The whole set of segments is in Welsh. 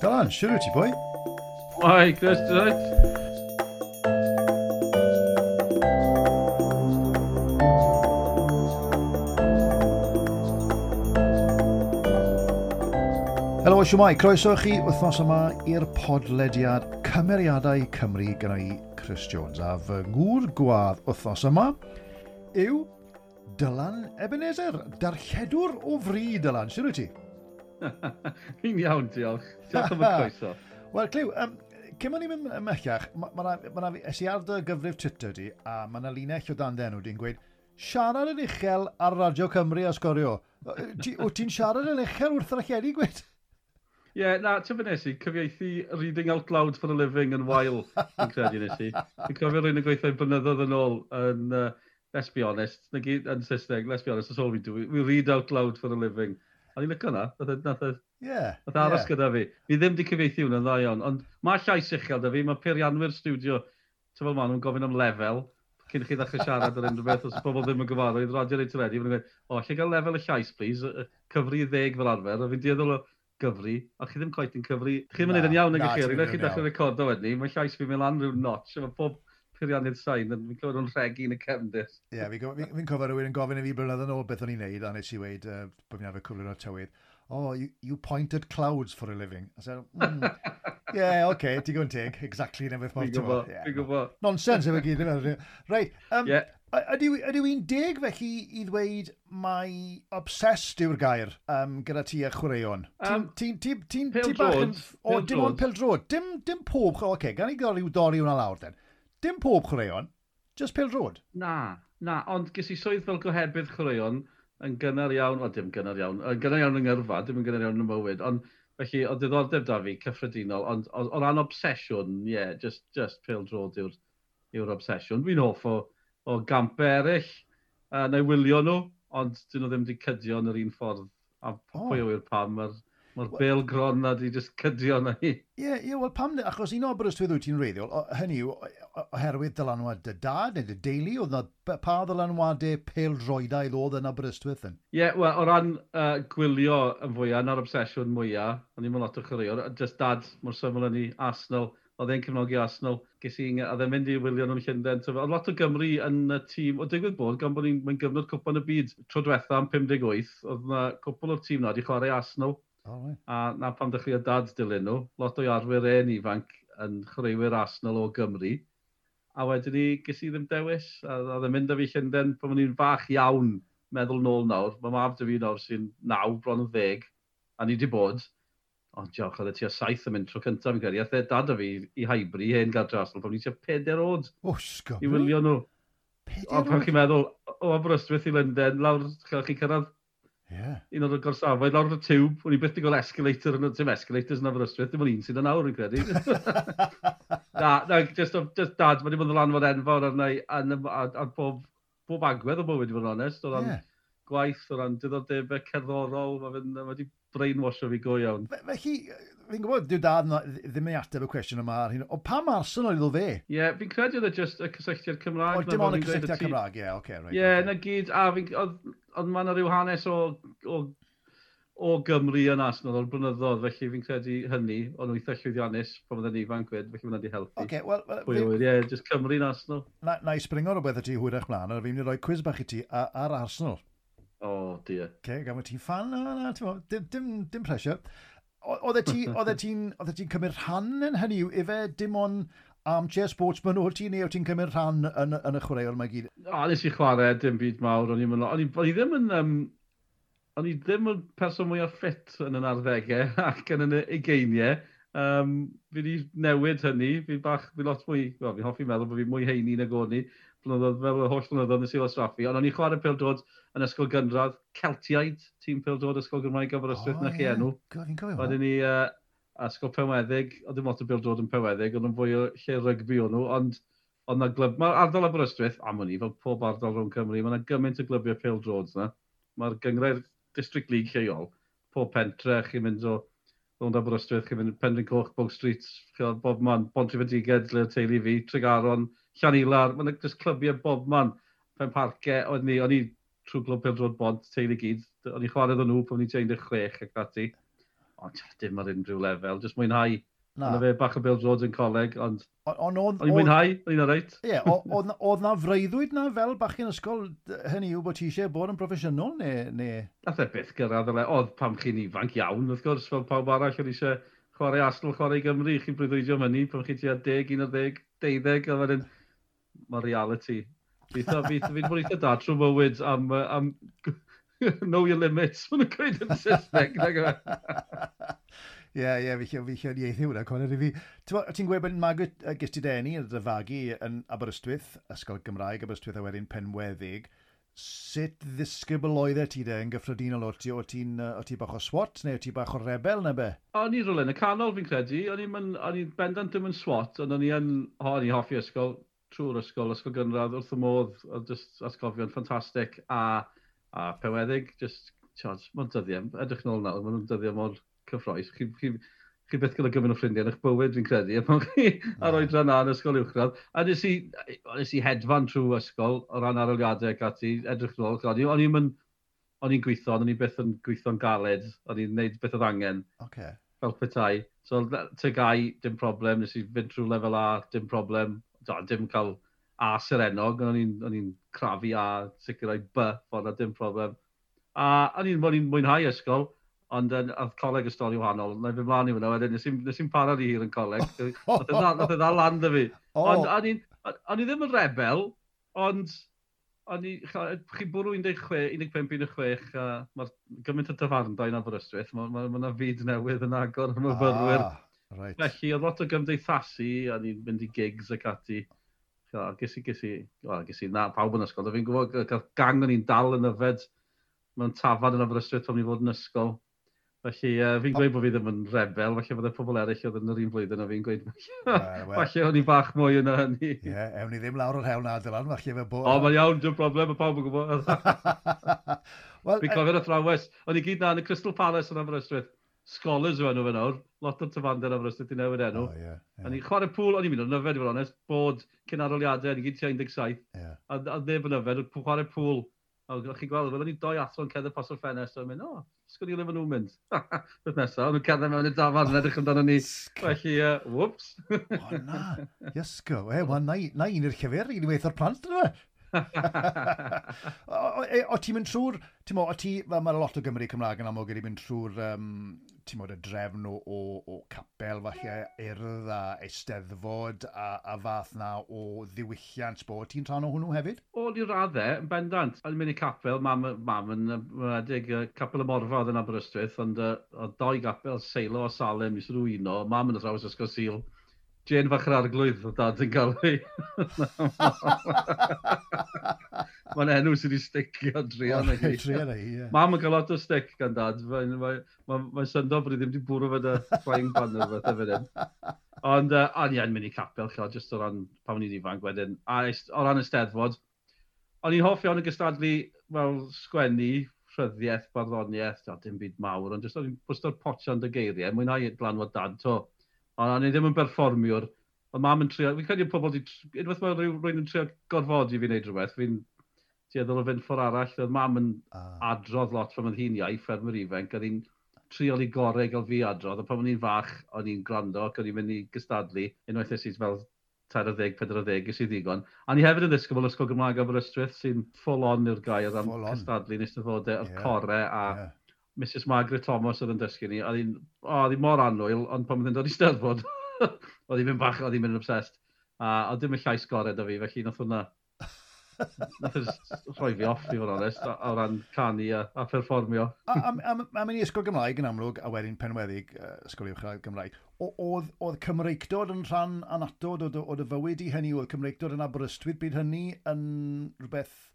Dylan, siwr wyt ti, boi? Hi, Chris, ti'n right? Helo, siwmai. Croeso chi wythnos yma i'r podlediad Cymeriadau Cymru gyda i Chris Jones. A fy ngŵr gwadd wythnos yma yw Dylan Ebenezer, darlledwr o fri, Dylan. Siwr wyt ti? Fi'n iawn, diolch. Diolch am y croeso. Wel, Clyw, cyn o'n i'n mynd ymhellach, ma es i ar dy gyfrif Twitter di, a mae yna linell o dan enw di'n gweud, siarad yn uchel ar Radio Cymru a sgorio. Wyt ti'n siarad yn uchel wrth yr alledu, gweud? Ie, yeah, na, ti'n nes i, cyfieithu reading out loud for a living yn wael, fi'n credu nes i. Fi'n cofio rhywun yn gweithio blynyddoedd yn ôl yn, let's be honest, na gyd yn Saesneg, let's be honest, that's all we do. We read out loud for a living. A ni'n licio na, nath nath aros gyda fi. Fi ddim di cyfieithu hwnna'n dda iawn, ond mae llais uchel da fi, mae peirianwyr studio, ti'n fel maen nhw'n gofyn am lefel, cyn i chi ddechrau siarad ar unrhyw beth, os pobl ddim yn gyfarwydd, radio neu teledu, maen nhw'n gweud, o, lle gael lefel y llais, please, cyfri 10 fel arfer, a fi'n dueddol o gyfri, a chi ddim quite yn cyfri. Chi ddim yn neud yn iawn nag chi, ar unwaith chi'n dechrau recordo wedyn, mae llais fi'n mynd lan rhyw notch, a mae pob peiriannydd sain, yn fi'n clywed nhw'n rhegi yn y cefndir. Ie, yeah, fi'n fi cofio rhywun yn gofyn i fi blynedd yn ôl beth o'n i'n neud, a nes i weud, bod fi'n arfer cyflwyno tywydd, oh, you point at clouds for a living. I said, yeah, okay, digon teg, exactly na beth mae'n gwybod. Fi'n gwybod. Nonsense efo gyd. Reit, ydyw i'n deg felly i ddweud mai obsessed yw'r gair gyda ti a chwaraeon? Ti'n bach yn... O, dim ond pêl-droed. Dim pob... Oce, okay, gan i gael rhyw dorri hwnna lawr den. Dim pob chwaraeon, just pêl-droed. Na, ond ges i swydd fel gohebydd chwaraeon yn gynnar iawn, o dim gynnar iawn, yn gynnar iawn yng ngyrfa, dim yn gynnar iawn yn y mywyd, ond felly o diddordeb da fi cyffredinol, ond o ran obsesiwn, ie, yeah, just pêl-droed yw'r obsesiwn. Fi'n hoff o gampau eraill, neu wylio nhw, ond dyn nhw ddim wedi cydio yn yr un ffordd, a pwy yw'r pam, mae'r bêl gron na di just cydio na hi. Ie, wel pam, achos un o Aberystwyth wyt ti'n wreiddiol, hynny yw, oherwydd dylanwad dy dad neu dy deulu, oedd na pa ddylanwadau pêl-droedaidd oedd yn Aberystwyth yn? Ie, yeah, wel, o ran gwylio yn fwyaf, na'r obsesiwn mwyaf, o'n i'n lot o chwaraewr, just dad mor syml yn i Arsenal, oedd e'n cefnogi Arsenal, ges i, oedd e'n mynd i wylio nhw'n Llundain. Oedd lot o Gymru yn y tîm, o digwydd bod, gan bod ni'n gyfnod Cwpan y Byd tro diwetha am 58, oedd na cwpl o'r tîm na wedi chwarae Arsenal. Oh, right. A na pam dechreuodd dad dilyn nhw, lot o'i arwyr e'n ifanc yn chwaraewyr Arsenal o Gymru. A wedyn ni, ges i ddim dewis, a oedd e'n mynd â fi Llundain pan o'n i'n fach iawn, meddwl nôl nawr. Mae mab 'da fi nawr sy'n 9, bron yn 10, a ni wedi bod. Ond diolch, oedd e tua 7 yn mynd tro cyntaf fi'n credu. Aeth e dad â fi i Highbury, hen gartre Arsenal, pan o'n i tua 4 oed. O, sgobri. I wylio nhw. 4 oed? Pan chi'n meddwl, o Aberystwyth i Lundain, lawr, chi'n cyrraedd un o'r gorsafoedd, lawr y tiwb, o'n i byth wedi gweld escalator, yn dim escalators yn Aberystwyth, dim ond un sydd yn awr, fi'n credu. Na, just dad, mae wedi bod yn ddylanwad enfawr arna i, ar bob agwedd o bywyd, i fod yn onest, o ran gwaith, o ran diddordebau cerddorol, mae wedi brainwasho fi go iawn. Felly, fi'n gwybod, dyw dad ddim yn ateb y cwestiwn yma ar hyn, ond pam Arsenal iddo fe? Ie, yeah, fi'n credu oedd e just y cysylltiad Cymraeg. O, dim ond y cysylltiad Cymraeg, ie, oce, right. Ie, na gyd, a fi'n, oedd ma' 'na ryw hanes o Gymru yn Arsenal o'r blynyddoedd, felly fi'n credu hynny, o'n nhw eitha llwyddiannus pan oedden ni ifanc fyd, felly mae'n wedi helpu. Oce, wel... Pwy yw'r, ie, just Cymru yn Arsenal. Na i springo rhywbeth i ti hwyrach mlaen, a fi'n mynd i roi quiz bach i ti ar Arsenal. O, dear. Oce, gan fod ti'n fan, na, dim pressure. Oeddet ti'n cymryd rhan yn hynny yw, ife dim ond armchair sportsman o't ti, neu o't ti'n cymryd rhan yn y chwaraeon mae gyd? O, nes i chwarae dim byd mawr, o'n i ddim yn person mwyaf ffit yn yn arddegau ac yn y ugeiniau. Fi wedi newid hynny, fi lot mwy, wel, fi'n hoffi meddwl bod fi mwy heini nag o'n i, blynyddoedd, fel yr holl blynyddoedd nes i wastraffu, ond o'n i'n chwarae pêl-droed yn ysgol gynradd, Celtiaid, tîm pêl-droed ysgol Gymraeg Aberystwyth, na chi enw. Fi'n cofio. Wedyn ni, ysgol Penweddig, oedd dim lot o bêl-droed yn Penweddig, oedd yn fwy o lle rygbi o'n nhw, ond oedd na glub, mae'r ardal Aberystwyth, am wn i, fel pob ardal rhwng Cymru, mae yna gymaint o glybiau pêl-droed yna. Mae'r gynghrair District League lleol, pob pentre, chi'n mynd o rownd Aberystwyth, chi'n mynd Penrhyn Coch, Bow Street, bob man, Pontrhydfendigaid, lle teulu fi, Tregaron, Llanilar, mae'n just clybiau bob man. Penparcau, oedd ni, o'n i trwy glwb pêl-droed Bont, teulu gyd. O'n i chwarae nhw pan o'n i'n 16 ac ati. Ond dim ar unrhyw lefel, jyst mwynhau. Na. Ond fe bach o bêl-droed yn coleg, ond on, o'n i'n mwynhau, o'n i'n oreit. Ie, oedd na freuddwyd na fel bachgen ysgol, hynny yw bod ti eisiau bod yn broffesiynol, neu... Nath e byth gyrraedd, oedd pam chi'n ifanc iawn, wrth gwrs, fel pawb arall, o'n eisiau chwarae Arsenal, chwarae Gymru, chi'n breuddwydio am hynny, pan chi tua 10, 11, 12, a wedyn, mae reality. Fi'n bod eitha da trwy bywyd am know your limits, maen nhw'n gweud yn Saesneg. Ie, ie, fi fi ieithu hwnna, Conor, i fi. Ti'n gweud bod magu ges ti deni dy fagu yn Aberystwyth, Ysgol Gymraeg Aberystwyth a wedyn Penweddig. Sut ddisgybl oeddet ti de yn gyffredinol? O ti, o ti'n o ti bach o swat neu o ti bach o rebel neu be? O'n i rhywle yn y canol fi'n credu. O'n i'n bendant ddim yn swat, ond o'n i yn, o'n i'n hoffi ysgol, trwy'r ysgol, ysgol gynradd, wrth y modd, oedd just atgofion ffantastig a Penweddig, just, tiod, mae'n dyddiau, edrych nôl nawr, mae'n dyddiau mor cyffrous. Chi byth gyda gymaint o ffrindiau yn eich bywyd, fi'n credu, a pan chi ar oedran na yn ysgol uwchradd. A nes i hedfan trwy ysgol o ran arholiadau ac ati, edrych nôl. O'n i'n gweithio, ond o'n i byth yn gweithio'n galed, o'n i'n gwneud beth oedd angen. Fel petai. So, TGAU, dim problem, nes i fynd trwy lefel A, dim problem. Do, dim cael A serennog, ond o'n i'n crafu A, sicrhau B, ffordd na, dim problem. A o'n i'n mwynhau ysgol, ond oedd coleg y stori wahanol. Na i fynd mlaen i fyna wedyn, nes i'n para rhy hir yn coleg. Nath e ddal lan 'da fi. Ond o'n i ddim yn rebel, ond o'n i, chi bwrw 16, 15, 16, a mae'r gymaint o dafarndai yn Aberystwyth, mae ma, ma, ma fyd newydd yn agor am myfyrwyr. Ah, right. Felly, oedd lot o gymdeithasu, a ni'n mynd i gigs ac ati. Ges i, well, ges i, na, pawb yn ysgol. Fi'n gwybod, gath gang o'n i'n dal yn yfed mewn tafarn yn Aberystwyth pan ni fod yn ysgol. Felly, fi'n gweud bod fi ddim yn rebel, felly fydde pobl eraill oedd yn yr un flwyddyn a fi'n gweud, falle o'n i bach mwy yna hynny. Ie, yeah, ewn ni ddim lawr o'r hewl na, Dylan, falle fe bo... O, mae'n iawn, dim problem, mae pawb yn gwybod. Well, fi'n cofio'r athrawes, o'n i gyd na yn y Crystal Palace yn Aberystwyth. Scholars yw enw fe nawr, lot o'r tafarndai yn Aberystwyth i newid enw. Oh, yeah, yeah. O'n i'n chwarae pŵl, o'n i'n mynd o'n yfed i fod onest, bod cyn arholiadau, o'n i gyd tua 17. A neb yn yfed, chwarae pŵl. A chi'n gweld, fel o'n i doi athro yn cerdded pas o'r ffenest, o'n mynd, "O, sgwn i le maen nhw'n mynd." Beth nesaf, o'n nhw'n cerdded mewn i'r dafarn yn edrych amdano ni. Felly, whoops. O na, iesgo. E, wel, na un i'r llyfr, un i weithio'r plant, yna fe. O ti'n mynd trwy'r, ti'n mo, o ti, fel mae lot o Gymry Cymraeg yn amlwg wedi mynd trwy'r, ti'n mo, y drefn o capel, falle, urdd a eisteddfod a fath na o ddiwylliant bod. Ti'n rhan o hwnnw hefyd? O, i raddau, yn bendant. O'n i'n mynd i capel, mam yn wedig, Capel y Morfa oedd yn Aberystwyth, ond oedd doi gapel, Seilo a Salem, i swn uno. Mam yn athrawes ysgol Sul. Jane fach yr arglwydd oedd dad yn gael ei. Mae'n enw sydd wedi sticio druan â hi. Druan â hi, ie. Mam yn cael lot o stick gan dad. Mae'n mae syndod bod i ddim wedi bwrw fe dy frying pan neu rhywbeth efo hyn. Ond o'n i yn mynd i capel, chod, jyst o ran pan o'n i'n ifanc wedyn. A o ran y Steddfod, o'n i'n hoff iawn o gystadlu fel sgwennu, rhyddiaeth, barddoniaeth, o, dim byd mawr, ond jyst o'n i'n bwsto'r potsian dy geiriau, mwynhau dylanwad dad, to. Ond o'n i ddim yn berfformiwr. Ond mam yn trio, fi'n credu pobl di, unwaith mae rhywun yn trio gorfodi fi wneud rhywbeth, fi'n tueddol o fynd ffordd arall. Oedd mam yn adrodd lot pan oedd hi'n iau, ffermwr ifanc, oedd hi'n trial i gorau gael fi adrodd, a pan o'n i'n fach, o'n i'n gwrando ac o'n i'n mynd i gystadlu, unwaith es i fel 30, 40, ges i ddigon. A ni hefyd yn ddisgybl Ysgol Gymraeg Aberystwyth, sy'n full on yw'r gair am cystadlu yn eisteddfodau, yr core a Mrs Margaret Thomas oedd yn dysgu ni. Oedd hi'n oh, oedd hi mor annwyl, ond pan oedd hi'n dod i steddfod, oedd hi'n mynd bach, oedd hi'n mynd yn obsessed. A oedd dim y llais gorau da fi, felly nath hwnna, nath e jyst rhoi fi off, i fod yn onest, o ran canu a perfformio. A mynd i ysgol Gymraeg yn amlwg, a wedyn Penweddig, ysgol uwchradd Gymraeg, oedd Cymreictod yn rhan annatod o dy fywyd i hynny? Oedd Cymreictod yn Aberystwyth bryd hynny yn rhywbeth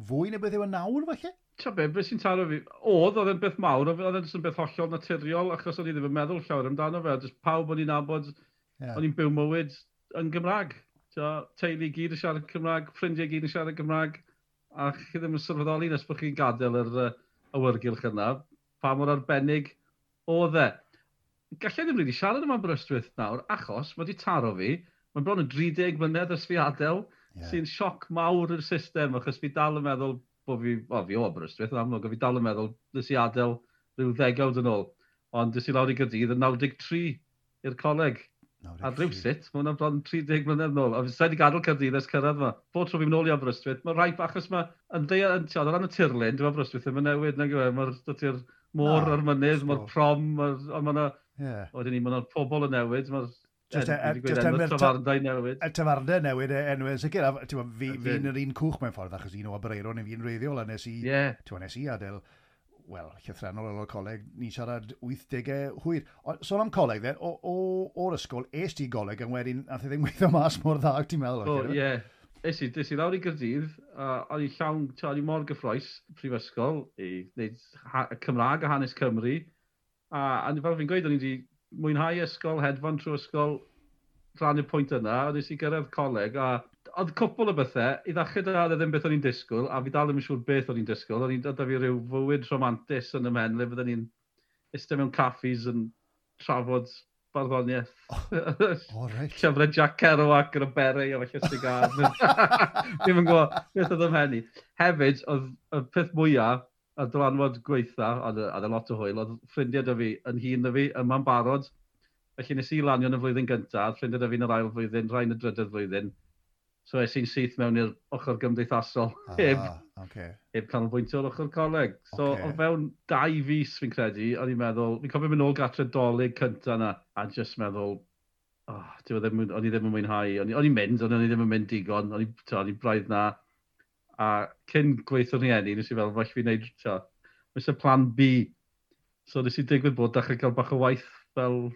fwy na beth yw e nawr, falle? Ti'n be, beth sy'n taro fi, oedd e'n beth mawr, oedd e'n jyst yn beth hollol naturiol, achos o'n i ddim yn meddwl llawer amdano fe, jyst pawb o'n i'n nabod, o'n i'n byw mywyd yn Gymraeg. T'o, teulu gyd yn siarad Cymraeg, ffrindiau gyd yn siarad Cymraeg, a chi ddim yn sylweddoli nes bod chi'n gadael yr awyrgylch yna, pa mor arbennig oedd e. Gallai ddim rili siarad am Aberystwyth nawr, achos mae wedi taro fi, mae'n bron yn 30 mlynedd ers fi adael. Yeah. Sy'n sioc mawr i'r system, achos fi dal yn meddwl bod fi, o, fi o Aberystwyth yn amlwg, fi dal yn meddwl nes i adael rhyw ddegawd yn ôl. Ond des i lawr i Gaerdydd yn 93 i'r coleg. 93. A rhywsut, mae hwnna'n bron 30 mlynedd nôl. A fi wedi gadael Caerdydd ers cyrraedd yma. Bob tro fi'n nôl i Aberystwyth, mae rhaid, achos mae, yn ddeia, yn, o ran y tirlun, dwi'n Aberystwyth ddim yn newid, nag yw e, mae'r dydy'r môr a'r mynydd, mae'r prom, mae'r, ond mae'na, yeah. Wedyn ni, mae'na pobl yn newid, mae'r Just, just enw'r tafarndau newid. Y tafarndau newid enwau yn sicr. Fi'n yr un cwch mewn ffordd, achos un o Aberaeron i fi'n reiddiol, a nes i, yeah. nes i adael, wel, llythrenol ar ôl coleg, ni'n siarad 80au hwyr. O, sôn am coleg, then, o'r ysgol, es ti goleg, yn wedyn, nath i ddim gweithio mas mor dda, ti'n meddwl? O, ie. Es i lawr i Gaerdydd, a o'n i llawn, o'n i mor gyffroes, prifysgol, i wneud Cymraeg a hanes Cymru. A fel fi'n gweud, o'n i wedi mwynhau ysgol, hedfan trwy ysgol, rhannu'r pwynt yna, a nes i gyrraedd coleg, a oedd cwpl o bethau, i ddechrau da, oedd e ddim beth o'n i'n disgwyl, a fi dal ddim yn siŵr beth o'n i'n disgwyl, o'n i'n dod fi rhyw fywyd romantus yn y mhen, le fydden ni'n eistedd mewn caffis yn trafod barddoniaeth. Oh, oh, right. Llyfrau Jack Kerouac yn y beret a falle sigar. Ddim yn gwybod beth oedd ym mhen i. Hefyd, oedd y peth mwyaf, y dylanwad gweitha, oedd e lot o hwyl, oedd ffrindiau da fi yn hŷn na fi, yma'n barod. Felly nes i lanio yn y flwyddyn gyntaf, ffrindiau da fi yn yr ail flwyddyn, rhai yn y drydedd flwyddyn. So es i'n syth mewn i'r ochr gymdeithasol, heb, okay. heb canolbwyntio ar ochr coleg. So o fewn 2 fis fi'n credu, o'n i'n meddwl, fi'n cofio mynd nôl gatre Dolig cynta na, a just meddwl, oh, ddim, o'n i ddim yn mwynhau, o'n i'n mynd, ond o'n i ddim yn mynd digon, o'n i braidd na. A cyn gweithio rhieni, nes i fel, falle fi'n neud, nes y plan B. So nes i digwydd bod dechrau cael bach o waith fel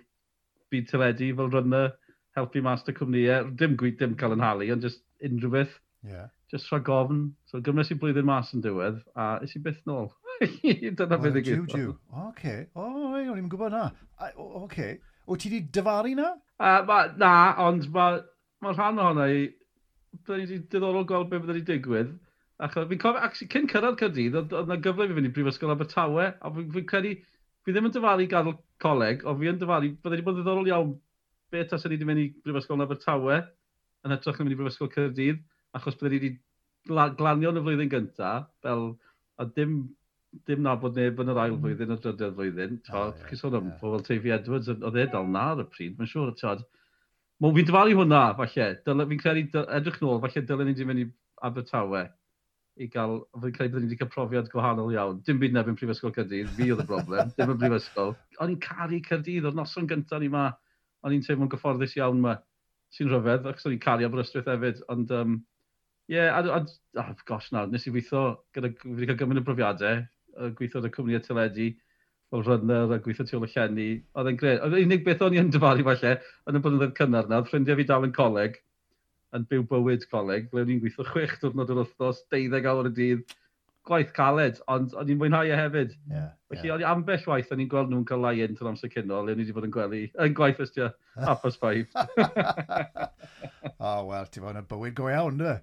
byd teledu, fel runner, helpu mas dy cwmnïau. Dim, dim cael yn halu, ond just unrhyw beth. Yeah. Just rhag ofn. So gymrys i blwyddyn mas yn diwedd, a es i byth nôl. Dyna beth i gyd. Jiw, Oce. O, o'n i'n gwybod na. Oce. O, ti di dyfaru na? Na, ond mae ma rhan ohono i, byddwn i diddorol gweld beth byddwn i digwydd. Achos fi'n cofio, actually, cyn cyrraedd Caerdydd, oedd yna gyfle i fi fynd i Brifysgol Abertawe, a fi'n fi credu, fi ddim yn dyfaru gadael coleg, ond fi yn dyfaru, byddai wedi bod yn ddiddorol iawn beth taswn ni wedi mynd i Brifysgol Abertawe, yn hytrach na mynd i Brifysgol Caerdydd, achos byddai wedi glanio yn y flwyddyn gyntaf, fel, a dim, dim nabod neb yn yr ail flwyddyn a'r drydedd flwyddyn. Oh, yeah, chi'n sôn am pobl Teifi Edwards, oedd e dal na ar y pryd, mae'n siŵr, tod. Fi'n dyfaru hwnna, falle. Fi'n credu, edrych nôl, falle dylen ni wedi mynd i Abertawe i gael, fi'n credu byddwn ni wedi cael profiad gwahanol iawn. Dim byd neb yn Prifysgol Caerdydd, fi oedd y broblem, dim yn Prifysgol. O'n i'n caru Caerdydd, o'r noson gyntaf ni ma, o'n i'n teimlo'n gyfforddus iawn ma, sy'n rhyfedd, achos o'n i'n caru Aberystwyth hefyd, ond, yeah, a, gosh na, nes i weithio, gyda, fi wedi cael gymaint o brofiadau, gweithio ar y cwmni teledu, fel runner a gweithio tu ôl y llenni, oedd e'n gred. Oedd unig beth o'n i yn dyfaru falle, yn y blynyddoedd cynnar na, oedd ffrindiau fi dal yn coleg, yn byw bywyd coleg, ble o'n i'n gweithio 6 diwrnod yr wythnos, 12 awr y dydd, gwaith caled, ond o'n i'n mwynhau e hefyd. Yeah, Felly, yeah. O'n i ambell waith, o'n i'n gweld nhw'n cael lie-in trwy'r amser cino, le o'n i wedi bod yn gwely, yn gwaith ys tua 5:30. O, wel, ti'n fawr yn bywyd go iawn, dy.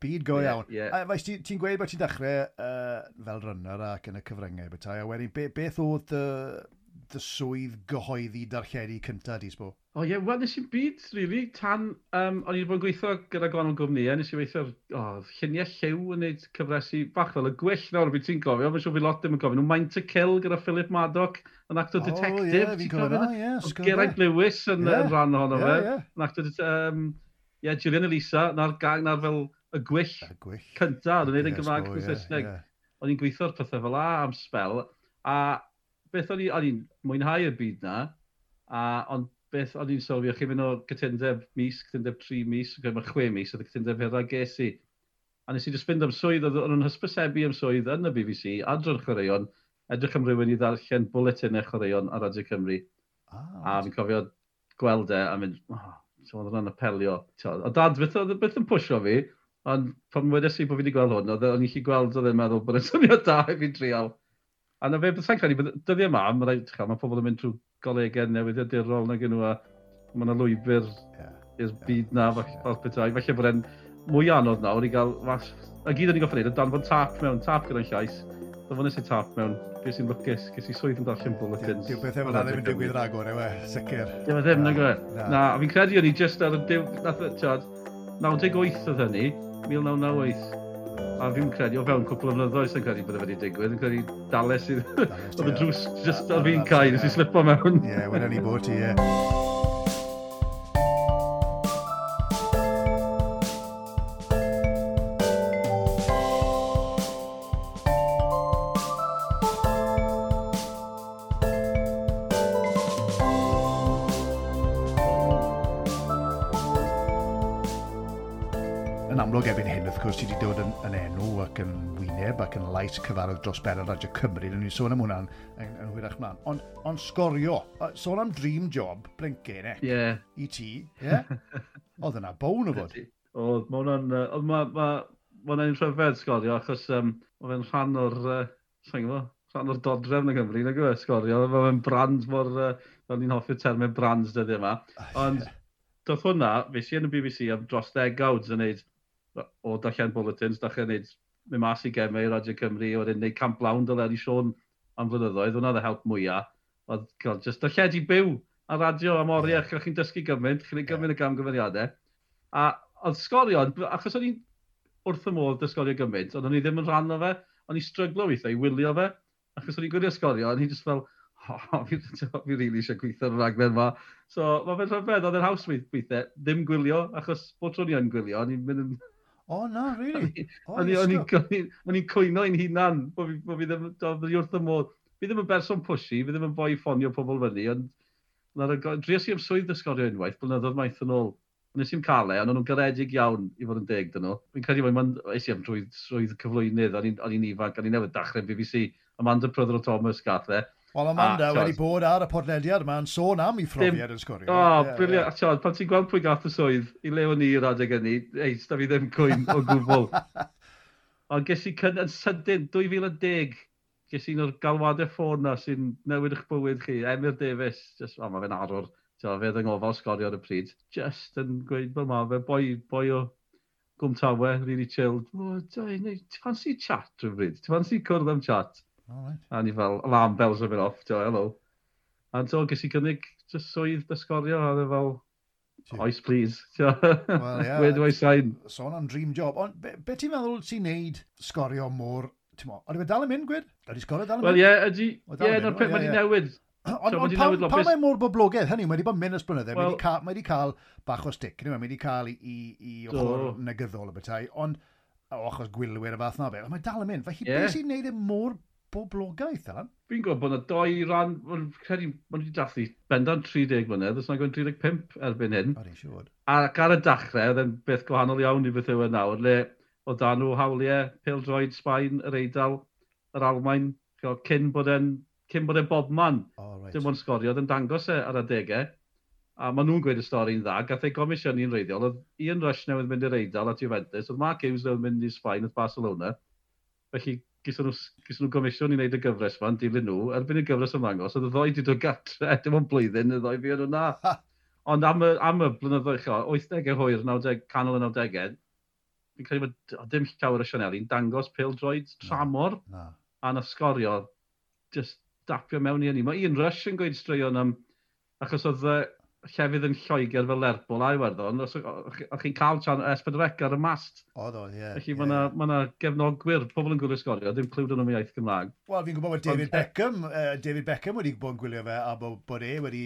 Byd go iawn. Yeah, yeah. A, faes, ti'n ti gweud bod ti'n dechrau fel runner ac yn y cyfryngau, bethau, a wedyn, beth oedd dy swydd gyhoeddi darlledu cyntaf, di, sbo? O ie, wel, nes i'n byd, really, tan, o'n i wedi bod yn gweithio gyda gwahanol gwmnïau, nes i weithio ar lluniau lliw yn gwneud cyfresi bach fel y gwyll nawr, fi ti'n gofio, mae'n siŵr fi lot ddim yn gofio, nhw Mind to Kill gyda Philip Maddock, yn actor detective. O ie, fi'n cofio na, ie. Geraint Lewis yn, yeah, yn rhan ohono fe. Yeah. Yn actor, yeah, Gillian Elisa, na'r gang, na'r fel y gwyll, cynta, o'n gwneud yn Gymraeg yn Saesneg. O'n i'n gweithio ar pethau fel a am spel, a beth o'n i'n mwynhau y byd na, a, ond beth o'n i'n sylwi, o'ch chi'n mynd o cytundeb mis, cytundeb 3 mis, mae 6 mis, oedd y cytundeb hynna ges i. A nes i just fynd am swydd, oedd nhw'n hysbysebu am swydd yn y BBC, adran chwaraeon, edrych am rhywun i ddarllen bwletinau chwaraeon ar Radio Cymru. A fi'n cofio gweld e a mynd, oh, so oedd hwnna'n apelio. A dad, beth yn pwysio fi, ond pan wedes i bod fi wedi gweld hwn, oedd o'n i'n gallu gweld oedd e'n meddwl bod e'n syniad da i fi drial. A na fe, sa'n credu, dyddiau yma, mae pobl yn mynd trwy golegau newyddiadurol nag nhw, a mae yna lwybr i'r byd na, fel petai. Falle bod e'n mwy anodd nawr i gael, a gyd o'n i'n goffa wneud, danfon tap mewn, tap gyda'n llais. Danfones i tap mewn, ges i'n lwcus, ges i swydd yn darllen bulletins. Dyw bethau fel ddim yn digwydd ragor, yw e, sicr. Dyw e ddim, nag yw e. Na, a fi'n credu o'n i just ar y diw, nath, tiod, 98 oedd hynny, 1998. A fi'n credu, o fewn cwpl o flynyddoedd sy'n credu bod e wedi digwydd, yn credu dales i... Oedd y drws just ar fi'n cael, nes i slipo mewn. Ie, wedyn ni bod ti, ie. Amlwg erbyn hyn, wrth gwrs, ti wedi dod yn enw ac yn wyneb ac yn lais cyfarwydd dros ben ar Radio Cymru. Rydyn ni'n sôn am hwnna'n yn hwyrach mlaen. Ond sgorio, sôn am dream job, blincen, e? Yeah. I ti, ie? Yeah? Oedd yna bown o fod. Oedd, mae hwnna'n... Oedd, ma hwnna'n rhyfedd sgorio, achos mae fe'n rhan o'r... Sa'n gwybod, rhan o'r dodrefn yng Nghymru, nag yw e, sgorio. Mae fe'n brand mor... Fel ni'n hoffi'r termau brands dyddiau yma. Ond doedd hwnna, fe si yn y BBC am dros degawd yn neud o darllen bulletins, dechrau wneud, mynd mas i gemau i Radio Cymru, wedyn wneud Camp Lawn dyle ni Siôn am flynyddoedd, hwnna oedd y help mwyaf. Oedd cael just darlledu byw ar radio am oriau, yeah. Chi'n dysgu gymaint, chi'n gwneud gymaint o gamgymeriadau. A oedd sgorio, achos o'n i'n wrth y modd dysgorio gymaint, ond o'n i ddim yn rhan o fe, o'n i'n stryglo weithiau i wylio fe, achos o'n i'n gwylio sgorio, o'n i just fel, oh, fi really eisiau gweithio ar y raglen yma. So, mae fe'n rhyfedd, oedd e'n haws weithiau, ddim gwylio, achos bod tro ni yn gwylio, o'n i'n mynd yn... Oh, na, really? O'n i'n cwyno i'n hunan, bod fi ddim, fi wrth y modd. Fi ddim yn berson pushy, fi ddim yn boi ffonio pobl fyny, ond dries i am swydd ysgorio unwaith, blynyddoedd maith yn ôl. Nes i'm cael e, ond o'n nhw'n garedig iawn i fod yn deg dyn nhw. Fi'n credu bod es i am drwy swydd cyflwynydd, o'n i'n ifanc, o'n i'n newydd dechrau'n BBC. Amanda Prothero Thomas gath e. Wel, Amanda wedi bod ar y podlediad yma'n sôn am ei phrofiad yn sgorio. O, oh, brilliant. A ti'od, pan ti'n gweld pwy gath y swydd, i le o'n i yr adeg hynny, ei, da fi ddim cwyn o gwbl. Ond ges i yn sydyn, 2010, ges i un o'r galwadau ffôn na sy'n newid eich bywyd chi, Emyr Davies, just, o, mae fe'n arwr, ti'od, fe oedd yng ngofal sgorio ar y pryd, just yn gweud, fel ma fe, boi o Gwm Tawe, really chilled. O, ti'n fancy chat rhywbryd? Ti'n fancy cwrdd am chat? All right. A ni fel, alarm bells yn mynd off, ti'n hello. A so, ges i gynnig just swydd dysgorio, a oedd e fel, oes please. Well, yeah, where do I sign? Sôn am dream job. Ond be ti'n meddwl ti'n neud sgorio mor... Ti'n mo, ydy fe dal yn mynd, gwed? Ydy sgorio dal yn mynd? Wel, ie, ydy. Ie, na'r peth, mae wedi newid. Ond pam mae mor boblogaidd? Hynny, mae wedi bod yn mynd ers blynydde. Mae wedi cael bach o stick, mae wedi cael i ochr negyddol y bethau, ond o achos gwylwyr y fath na beth, ond mae dal yn mynd. Felly, beth sy'n neud e mor boblogaeth, Alan? Fi'n gwybod bod yna doi ran, mae'n credu, maen nhw wedi dathlu bendant 30 mlynedd, os nag o'n 35 erbyn hyn. O'n i'n siŵr. Ac ar y dechrau, oedd e'n beth gwahanol iawn i beth yw e nawr, le oedd dan nhw hawliau, pêl-droed, Sbaen, yr Eidal, yr Almaen, cyn bod e'n bobman. Oh, right. Dim ond sgorio, oedd yn dangos e ar adegau. A maen nhw'n gweud y stori'n dda, gath ei gomisiynu'n reiddiol, oedd Ian Rush newydd mynd i'r Eidal at Juventus, oedd Mark Hughes newydd mynd i Sbaen at Barcelona. Felly, gyson nhw gomisiwn i wneud y gyfres yma, yn dilyn nhw, erbyn y gyfres ymddangos, oedd y ddoi wedi dod gatre, dim ond blwyddyn, y ddoi fi o'n nhw na. Ond am y blynyddoedd, 80au hwyr, 90, canol y 90au, fi'n credu bod dim llawer o sianeli'n dangos pêl-droed tramor, a nath sgorio, just dapio mewn i hynny. Mae Ian Rush yn gweud straeon am, achos oedd llefydd yn Lloegr fel Lerpwl a Iwerddon, os o'ch chi'n cael chan S4C ar y mast. Oedd, oedd, ie. Felly mae yna gefnogwyr, pobl yn gwylio sgorio, ddim clywed yn am iaith Gymraeg. Wel, fi'n gwybod bod David Beckham wedi bod yn gwylio fe, a bod e wedi,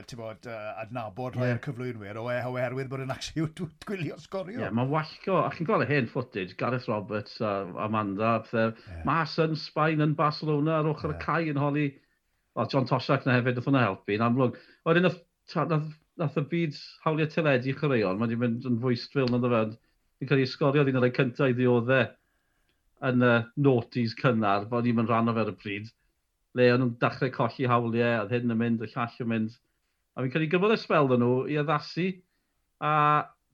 ti'n bod, adnabod rhai o'r cyflwynwyr, oherwydd bod e'n actually gwylio sgorio. Ie, mae'n wallgo, a chi'n gweld y hen footage, Gareth Roberts a Amanda, pethau, mas yn Sbaen, yn Barcelona, ar ochr y cae yn holi, well, John Toshack na hefyd, nath hwnna helpu, yn amlwg. Wedyn nath y byd hawliau teledu chwaraeon, mae wedi mynd yn fwystfil nad o fe. Fi'n credu sgorio un o'r rhai cyntaf i ddioddau yn y noughties cynnar, bod ni'n mynd rhan o fe ar y pryd, le o'n nhw'n dechrau colli hawliau, oedd hyn yn mynd, y llall yn mynd. A fi'n credu gyfod y sbel nhw i addasu, a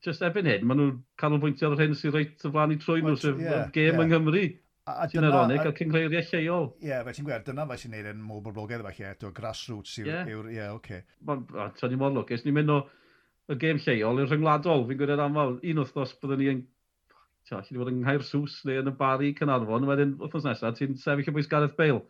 just erbyn hyn, maen nhw'n canolbwyntio ar yr hyn sy'n reit o flaen i trwy nhw, sef gêm yng Nghymru. Sy'n ironic, a cynghreiriau lleol. Ie, fe ti'n gweld, dyna fe sy'n neud yn mor boblogaidd falle, eto, grassroots yw'r, ie, oce. Ti'n ni mor lwcus, ni'n mynd o y gêm lleol i'r rhyngwladol, fi'n gwybod aml, un wythnos byddwn ni yn, ti'n allu bod yng Nghaersws neu yn y Bari Caernarfon, wedyn wythnos nesaf ti'n sefyll o bwys Gareth Bale.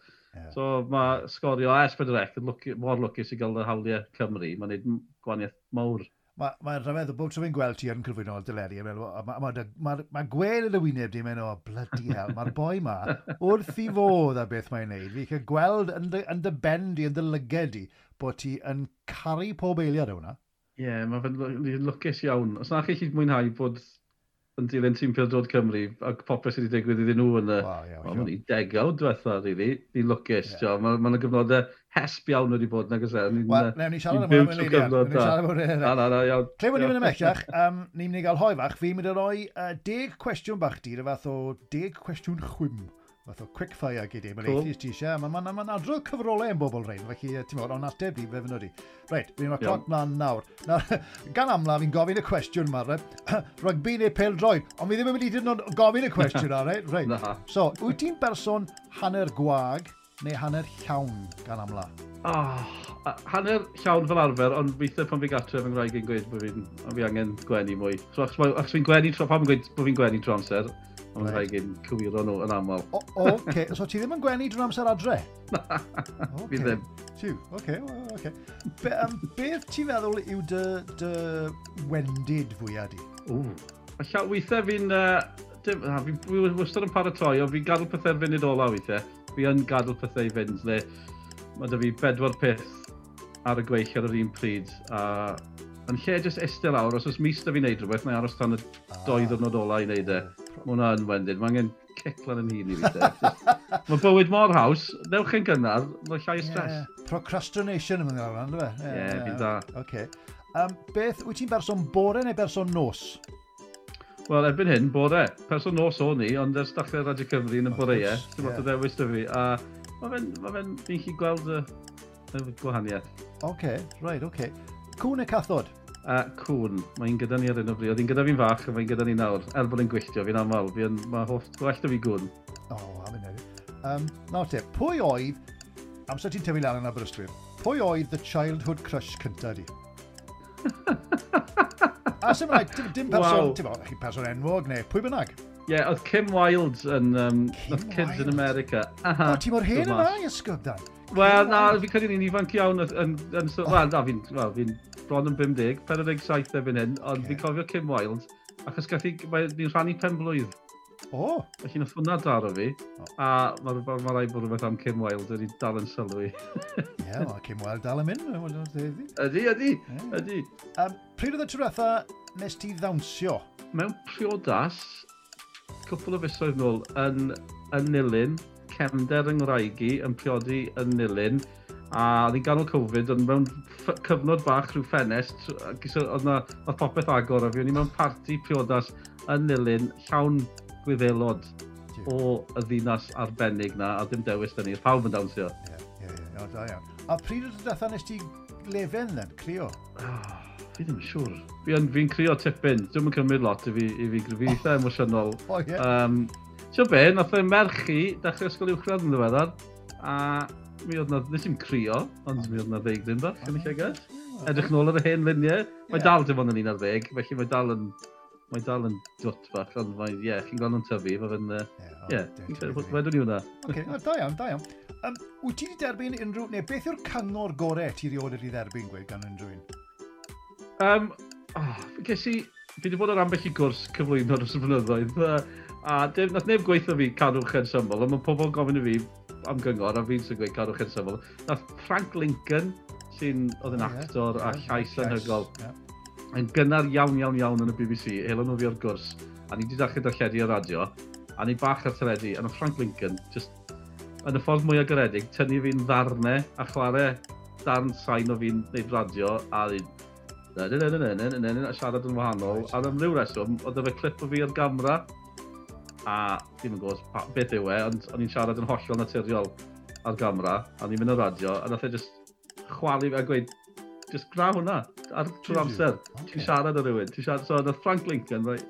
So mae sgorio S4C yn mor lwcus i gael y hawliau Cymru, mae'n neud gwahaniaeth mawr. Mae'n rhyfedd o bob tro fi'n gweld ti yn cyflwyno deledu, mae gweld yn y wyneb di, mae'n o, bloody hell, mae'r boi ma wrth i fodd ar beth mae'n neud. Fi'n cael gweld yn dy ben di, yn dy lyged di, bod ti yn caru pob eiliad o hwnna. Ie, yeah, mae fe'n lwcus iawn. Os na chi chi mwynhau bod yn dilyn tîm pêl-droed Cymru ac popeth sydd wedi digwydd iddyn nhw yn y... Wow, yeah, well, sure. Degawd diwetha, really. Ni'n lwcus, yeah. Mae yna gyfnodau hesp iawn wedi bod, nag oes e? Wel, newn ni siarad am hwnna mewn eiliad. Newn ni siarad am hwnna. Na, na, na, iawn. Lle bod ni'n mynd ymhellach, ni'n mynd i gael hoe fach. Fi'n mynd i roi 10 cwestiwn bach di, rhyw fath o 10 cwestiwn chwim, fath o quick fire gyd i, mae'n cool. Eithaf ti eisiau. Mae'n ma, ma, ma adrodd cyfrolau yn bobl rhain, felly ti'n meddwl, ond ateb di, fe fynd di. Reit, fi'n rhoi cloc mlaen nawr. Nawr, gan amla, fi'n gofyn y cwestiwn yma, right? Rygbi neu pêl-droed, ond fi ddim yn mynd i dyn nhw'n gofyn y cwestiwn yma, reit? Reit. So, wyt ti'n berson hanner gwag neu hanner llawn gan amla? Oh, hanner llawn fel arfer, ond weithiau pan fi gartre fy ngwraig yn gweud bod fi angen gwenu mwy. So, achos fi'n gwenu tro, pam yn gweud bod fi'n gwenu tro amser, ond right. Rhaid i'n cywiro nhw yn aml. O, oce, so ti ddim yn gwenu drwy'r amser adre? Na, okay. Fi ddim. Tiw, oce, oce. Beth ti'n feddwl yw dy wendid fwyaf di? Ww. Weithiau fi'n... Fi wastad yn paratoi, ond fi'n gadael pethau'r funud ola weithiau. Fi yn gadael pethau i fynd, le mae 'da fi bedwar peth ar y gweill ar yr un pryd. A yn lle jyst eistedd lawr, os oes mis 'da fi wneud rhywbeth, mae'n aros tan y 2 diwrnod ola i wneud e. Mae hwnna yn wendid. Mae angen cic lan yn hun i fi. Mae bywyd mor haws, newch yn gynnar, mae llai o stress. Yeah. Procrastination yn mynd lawr, ynddo fe? Ie, yeah, fi'n da. Okay. Beth, wyt ti'n berson bore neu berson nos? Wel, erbyn hyn, bore. Person nos o'n i, ond ers dechrau Radio Cymru yn y boreau, dim lot o ddewis 'da fi. A mae fe'n, fi'n gallu gweld y gwahaniaeth. Oce, okay, right, oce. Okay. Cŵn neu cathod? Cŵn. Mae'n gyda ni ar hyn o bryd. Oedd hi'n gyda fi'n fach a mae'n gyda ni nawr. Er bod yn gwylltio fi'n aml. Fi'n, mae hoff, gwell 'da fi gŵn. O, oh, am hynny. Nawr te, pwy oedd, amser ti'n tyfu lan yn Aberystwyth, pwy oedd the childhood crush cynta di? A sy'n rhaid, dim person, wow. Ti'n bod, chi person enwog neu pwy bynnag? Ie, yeah, oedd Kim Wilde yn Kim Kids in America. Aha, o, ti mor hen yna, Esgob, Dan? Wel, na, fi'n credu ni'n ifanc iawn yn, so, wel, na, fi'n well, fi bron yn 50, 47 erbyn hyn, ond okay. Fi'n cofio Kim Wilde, achos gath i, ni'n rhannu pen blwydd. O! Oh. Felly nath hwnna daro fi, a mae ma rhaid bod rhywbeth am Kim Wilde wedi dal yn sylwi. Ie, yeah, mae Kim Wilde dal yn mynd. Ydy, ydy. Pryd oedd y tro diwetha nes ti ddawnsio? Mewn priodas, cwpl o fisoedd nôl, yn Nulyn, cefnder yng Ngwraig i yn priodi yn Nulyn, a oedd hi'n ganol Covid, ond mewn cyfnod bach rhyw ffenest, oedd na oedd popeth agor, a fi o'n i mewn parti priodas yn Nulyn, llawn Gwyddelod o y ddinas arbennig na, a dim dewis 'da ni, pawb yn dawnsio. Ie, da iawn. A pryd oedd y diwetha nes ti lefen then, crio? Oh, fi ddim yn siŵr. Fi'n fi crio tipyn, dwi'n yn cymryd lot i fi, fi eitha emosiynol. O, ie. Ti'n be, nath e merch i dechrau ysgol uwchradd yn ddiweddar, a mi oedd na, nes i'm crio, ond mi oedd na ddeigryn bach yn y llygad. Edrych nôl ar y hen luniau. Mae dal dim ond yn 11, felly mae dal yn dwt bach, ond mae, ie, yeah, chi'n gweld nhw'n tyfu, mae fe'n, ie, wedwn i hwnna. Oce, da iawn, da iawn. Wyt ti wedi derbyn unrhyw, neu beth yw'r cyngor gorau ti rioed wedi dderbyn, gweud, gan unrhyw un? Oh, ges i, fi wedi bod ar ambell i gwrs cyflwyno dros y blynyddoedd, a dim, nath neb gweithio fi cadwch yn syml, ond mae pobl gofyn i fi am gyngor, a fi'n sy'n gweud cadwch yn syml. Nath Frank Lincoln, sy'n oedd yn actor a llais anhygoel, yn gynnar iawn, iawn, iawn yn y BBC, helon nhw fi o'r gwrs, a ni wedi dechrau darlledu ar radio, a ni bach ar teledu, a nath Frank Lincoln, just yn y ffordd mwyaf garedig, tynnu fi'n ddarnau a chwarae darn sain o fi'n neud radio, a na, na, na, na, na, na, na, a siarad yn wahanol, a am ryw reswm, oedd fe clip o fi ar gamera, a ddim yn gwybod beth yw e, ond o'n i'n siarad yn hollol naturiol ar gamera, a ni'n mynd ar radio, a nath e just chwalu fi a gweud, just gwna hwnna, ar trwy'r amser. Ti'n siarad â rhywun. Ti'n siarad, so nath Frank Lincoln, right,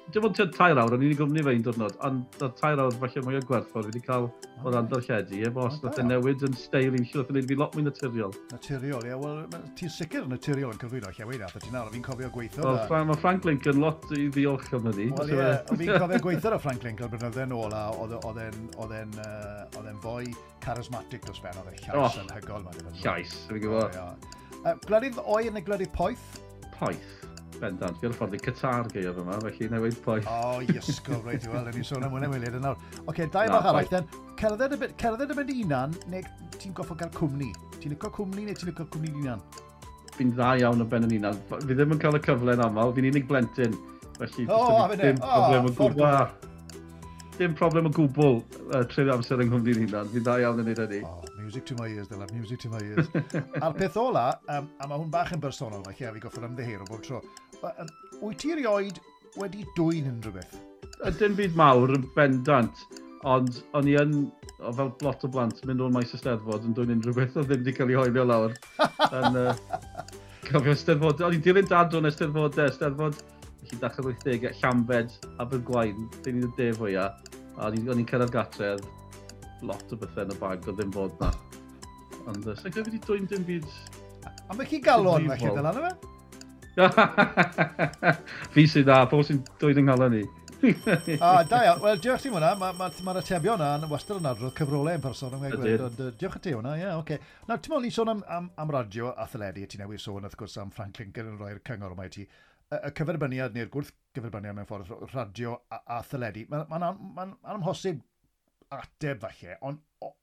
dim ond tua 3 awr, o'n i'n ei gwmni fe un diwrnod, ond nath 3 awr falle mwy o gwerthfawr fi wedi cael o ran darlledu, efo os nath e newid yn steil i'n nath e wneud fi lot mwy naturiol. Naturiol, ie, wel, ti'n sicr naturiol yn cyflwyno lle wedi nath ti nawr, fi'n cofio gweithio. Wel, mae Frank Lincoln lot i ddiolch am hynny. Wel, ie, fi'n cofio gweithio ar Frank Lincoln blynydde nôl, a oedd e'n fwy charismatic dros ben, oedd e'n llais anhygoel. Llais, fi'n gwybod. Gwledydd oer neu gwledydd poeth? Poeth, bendant. Fi ar y ffordd i Qatar gaeaf yma, felly newid poeth. O, oh, iesgob, reit, wel, ni sôn am hwnna weled yn nawr. Oce, dau bach arall, then. Cerdded y, cerdded y mynd unan, neu ti'n goffo gael cwmni? Ti'n licio cwmni neu ti'n licio cwmni unan? Fi'n dda iawn o ben yn unan. Fi ddim yn cael y cyfle yn aml, fi'n unig blentyn. Felly, oh, dim problem o gwbl. Dim problem o gwbl treulio amser yng nghwmni'n hunan. Fi'n dda iawn yn neud hynny. Oh, music to my ears, Dylan, music to my ears. A'r peth ola, a mae hwn bach yn bersonol, felly, a fi goffod ymddiheuro bob tro. Wyt ti erioed wedi dwyn unrhyw beth? Dim byd mawr yn bendant, ond o'n i yn, o, fel lot o blant, mynd o'n maes y Steddfod yn dwyn unrhyw beth oedd ddim wedi cael ei hoelio lawr. Yn, cofio Steddfod, o'n i'n dilyn dad o'n Eisteddfodau, Steddfod, felly dechrau'r 80au, Llambed, Abergwaun, dyn ni'n y de fwyaf, a o'n i'n cyrraedd gatre, lot o bethau yn y bag oedd ddim bod na. Ond sa'n credu wedi dwyn dim byd. A mae chi galon felly, Dylan, yma? Fi sy'n dda, pobl sy'n dwyn yng nghalon i. A, da iawn. Wel, diolch ti hwnna. Mae'r ma, ma, ma atebion yna yn wastad yn adrodd cyfrolau yn person. Ond diolch i ti hwnna, ie, yeah, oce. Okay. Nawr, ti'n meddwl, ni'n sôn am radio a theledu, ti newydd sôn, wrth gwrs, am Frank Lincoln yn rhoi'r cyngor yma i ti. Y cyferbyniad neu'r gwrthgyferbyniad mewn ffordd radio a theledu, mae'n ma, ma, ma amhosib ateb falle, ond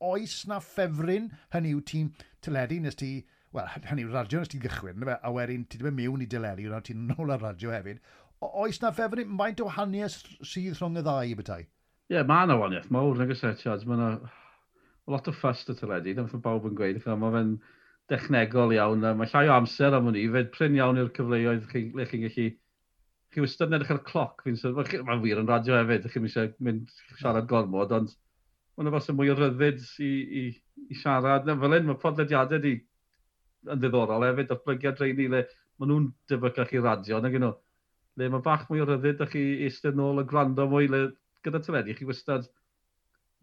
oes na ffefryn, hynny yw ti'n teledu nes ti, wel, hynny yw radio nes ti gychwyn, a wedyn ti wedi mynd mewn i deledu, nawr ti'n nôl ar radio hefyd. Oes na ffefryn, faint o wahaniaeth sydd rhwng y ddau bethau? Ie, yeah, mae yna wahaniaeth mawr, nag oes e, tiad, mae yna lot o fuss y teledu, dyna beth mae bawb yn gweud, mae fe'n dechnegol iawn, mae llai o amser am hwnni, fe prin iawn yw'r cyfleoedd le chi'n gallu chi wastad yn edrych ar y cloc, fi'n sôn, mae'n wir yn radio hefyd, chi'n eisiau mynd siarad gormod, ond mae'n fel sy'n mwy o ryddid i siarad. Na, fel hyn, mae podlediadau di yn ddiddorol hefyd, datblygiad rheini le maen nhw'n debycach i radio, nag nhw. Le mae bach mwy o ryddid a chi eistedd nôl a gwrando mwy, le gyda teledu, chi wastad,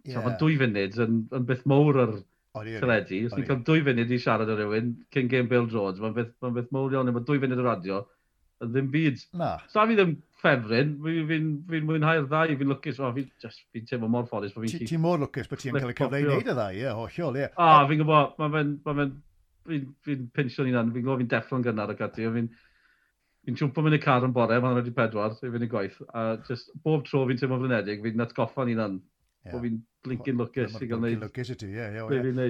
yeah. Mae 2 funud yn beth mawr ar teledu. Os ni'n cael 2 funud i siarad â rhywun cyn gêm bêl-droed, mae'n beth, ma beth mawr iawn, mae 2 funud o radio yn ddim byd. Na. So fi ddim ffefryn, fi'n fi mwynhau'r ddau, fi'n lwcus, oh, fi'n fi teimlo mor ffodus bod fi'n... Ti mor lwcus bod ti'n cael y cyfle i wneud y ddau, ie, hollol, ie. A, fi'n gwybod, mae fe'n, fi'n pinsio'n hunan, fi'n gwybod fi'n deffro'n gynnar ac ati, fi'n siwmpo mynd i car yn bore, mae'n 4:15, i fynd i gwaith, a just bob tro fi'n teimlo flinedig, fi'n atgoffa'n hunan, bod fi'n blinking lwcus i gael neud. Lwcus i ti, ie, ie.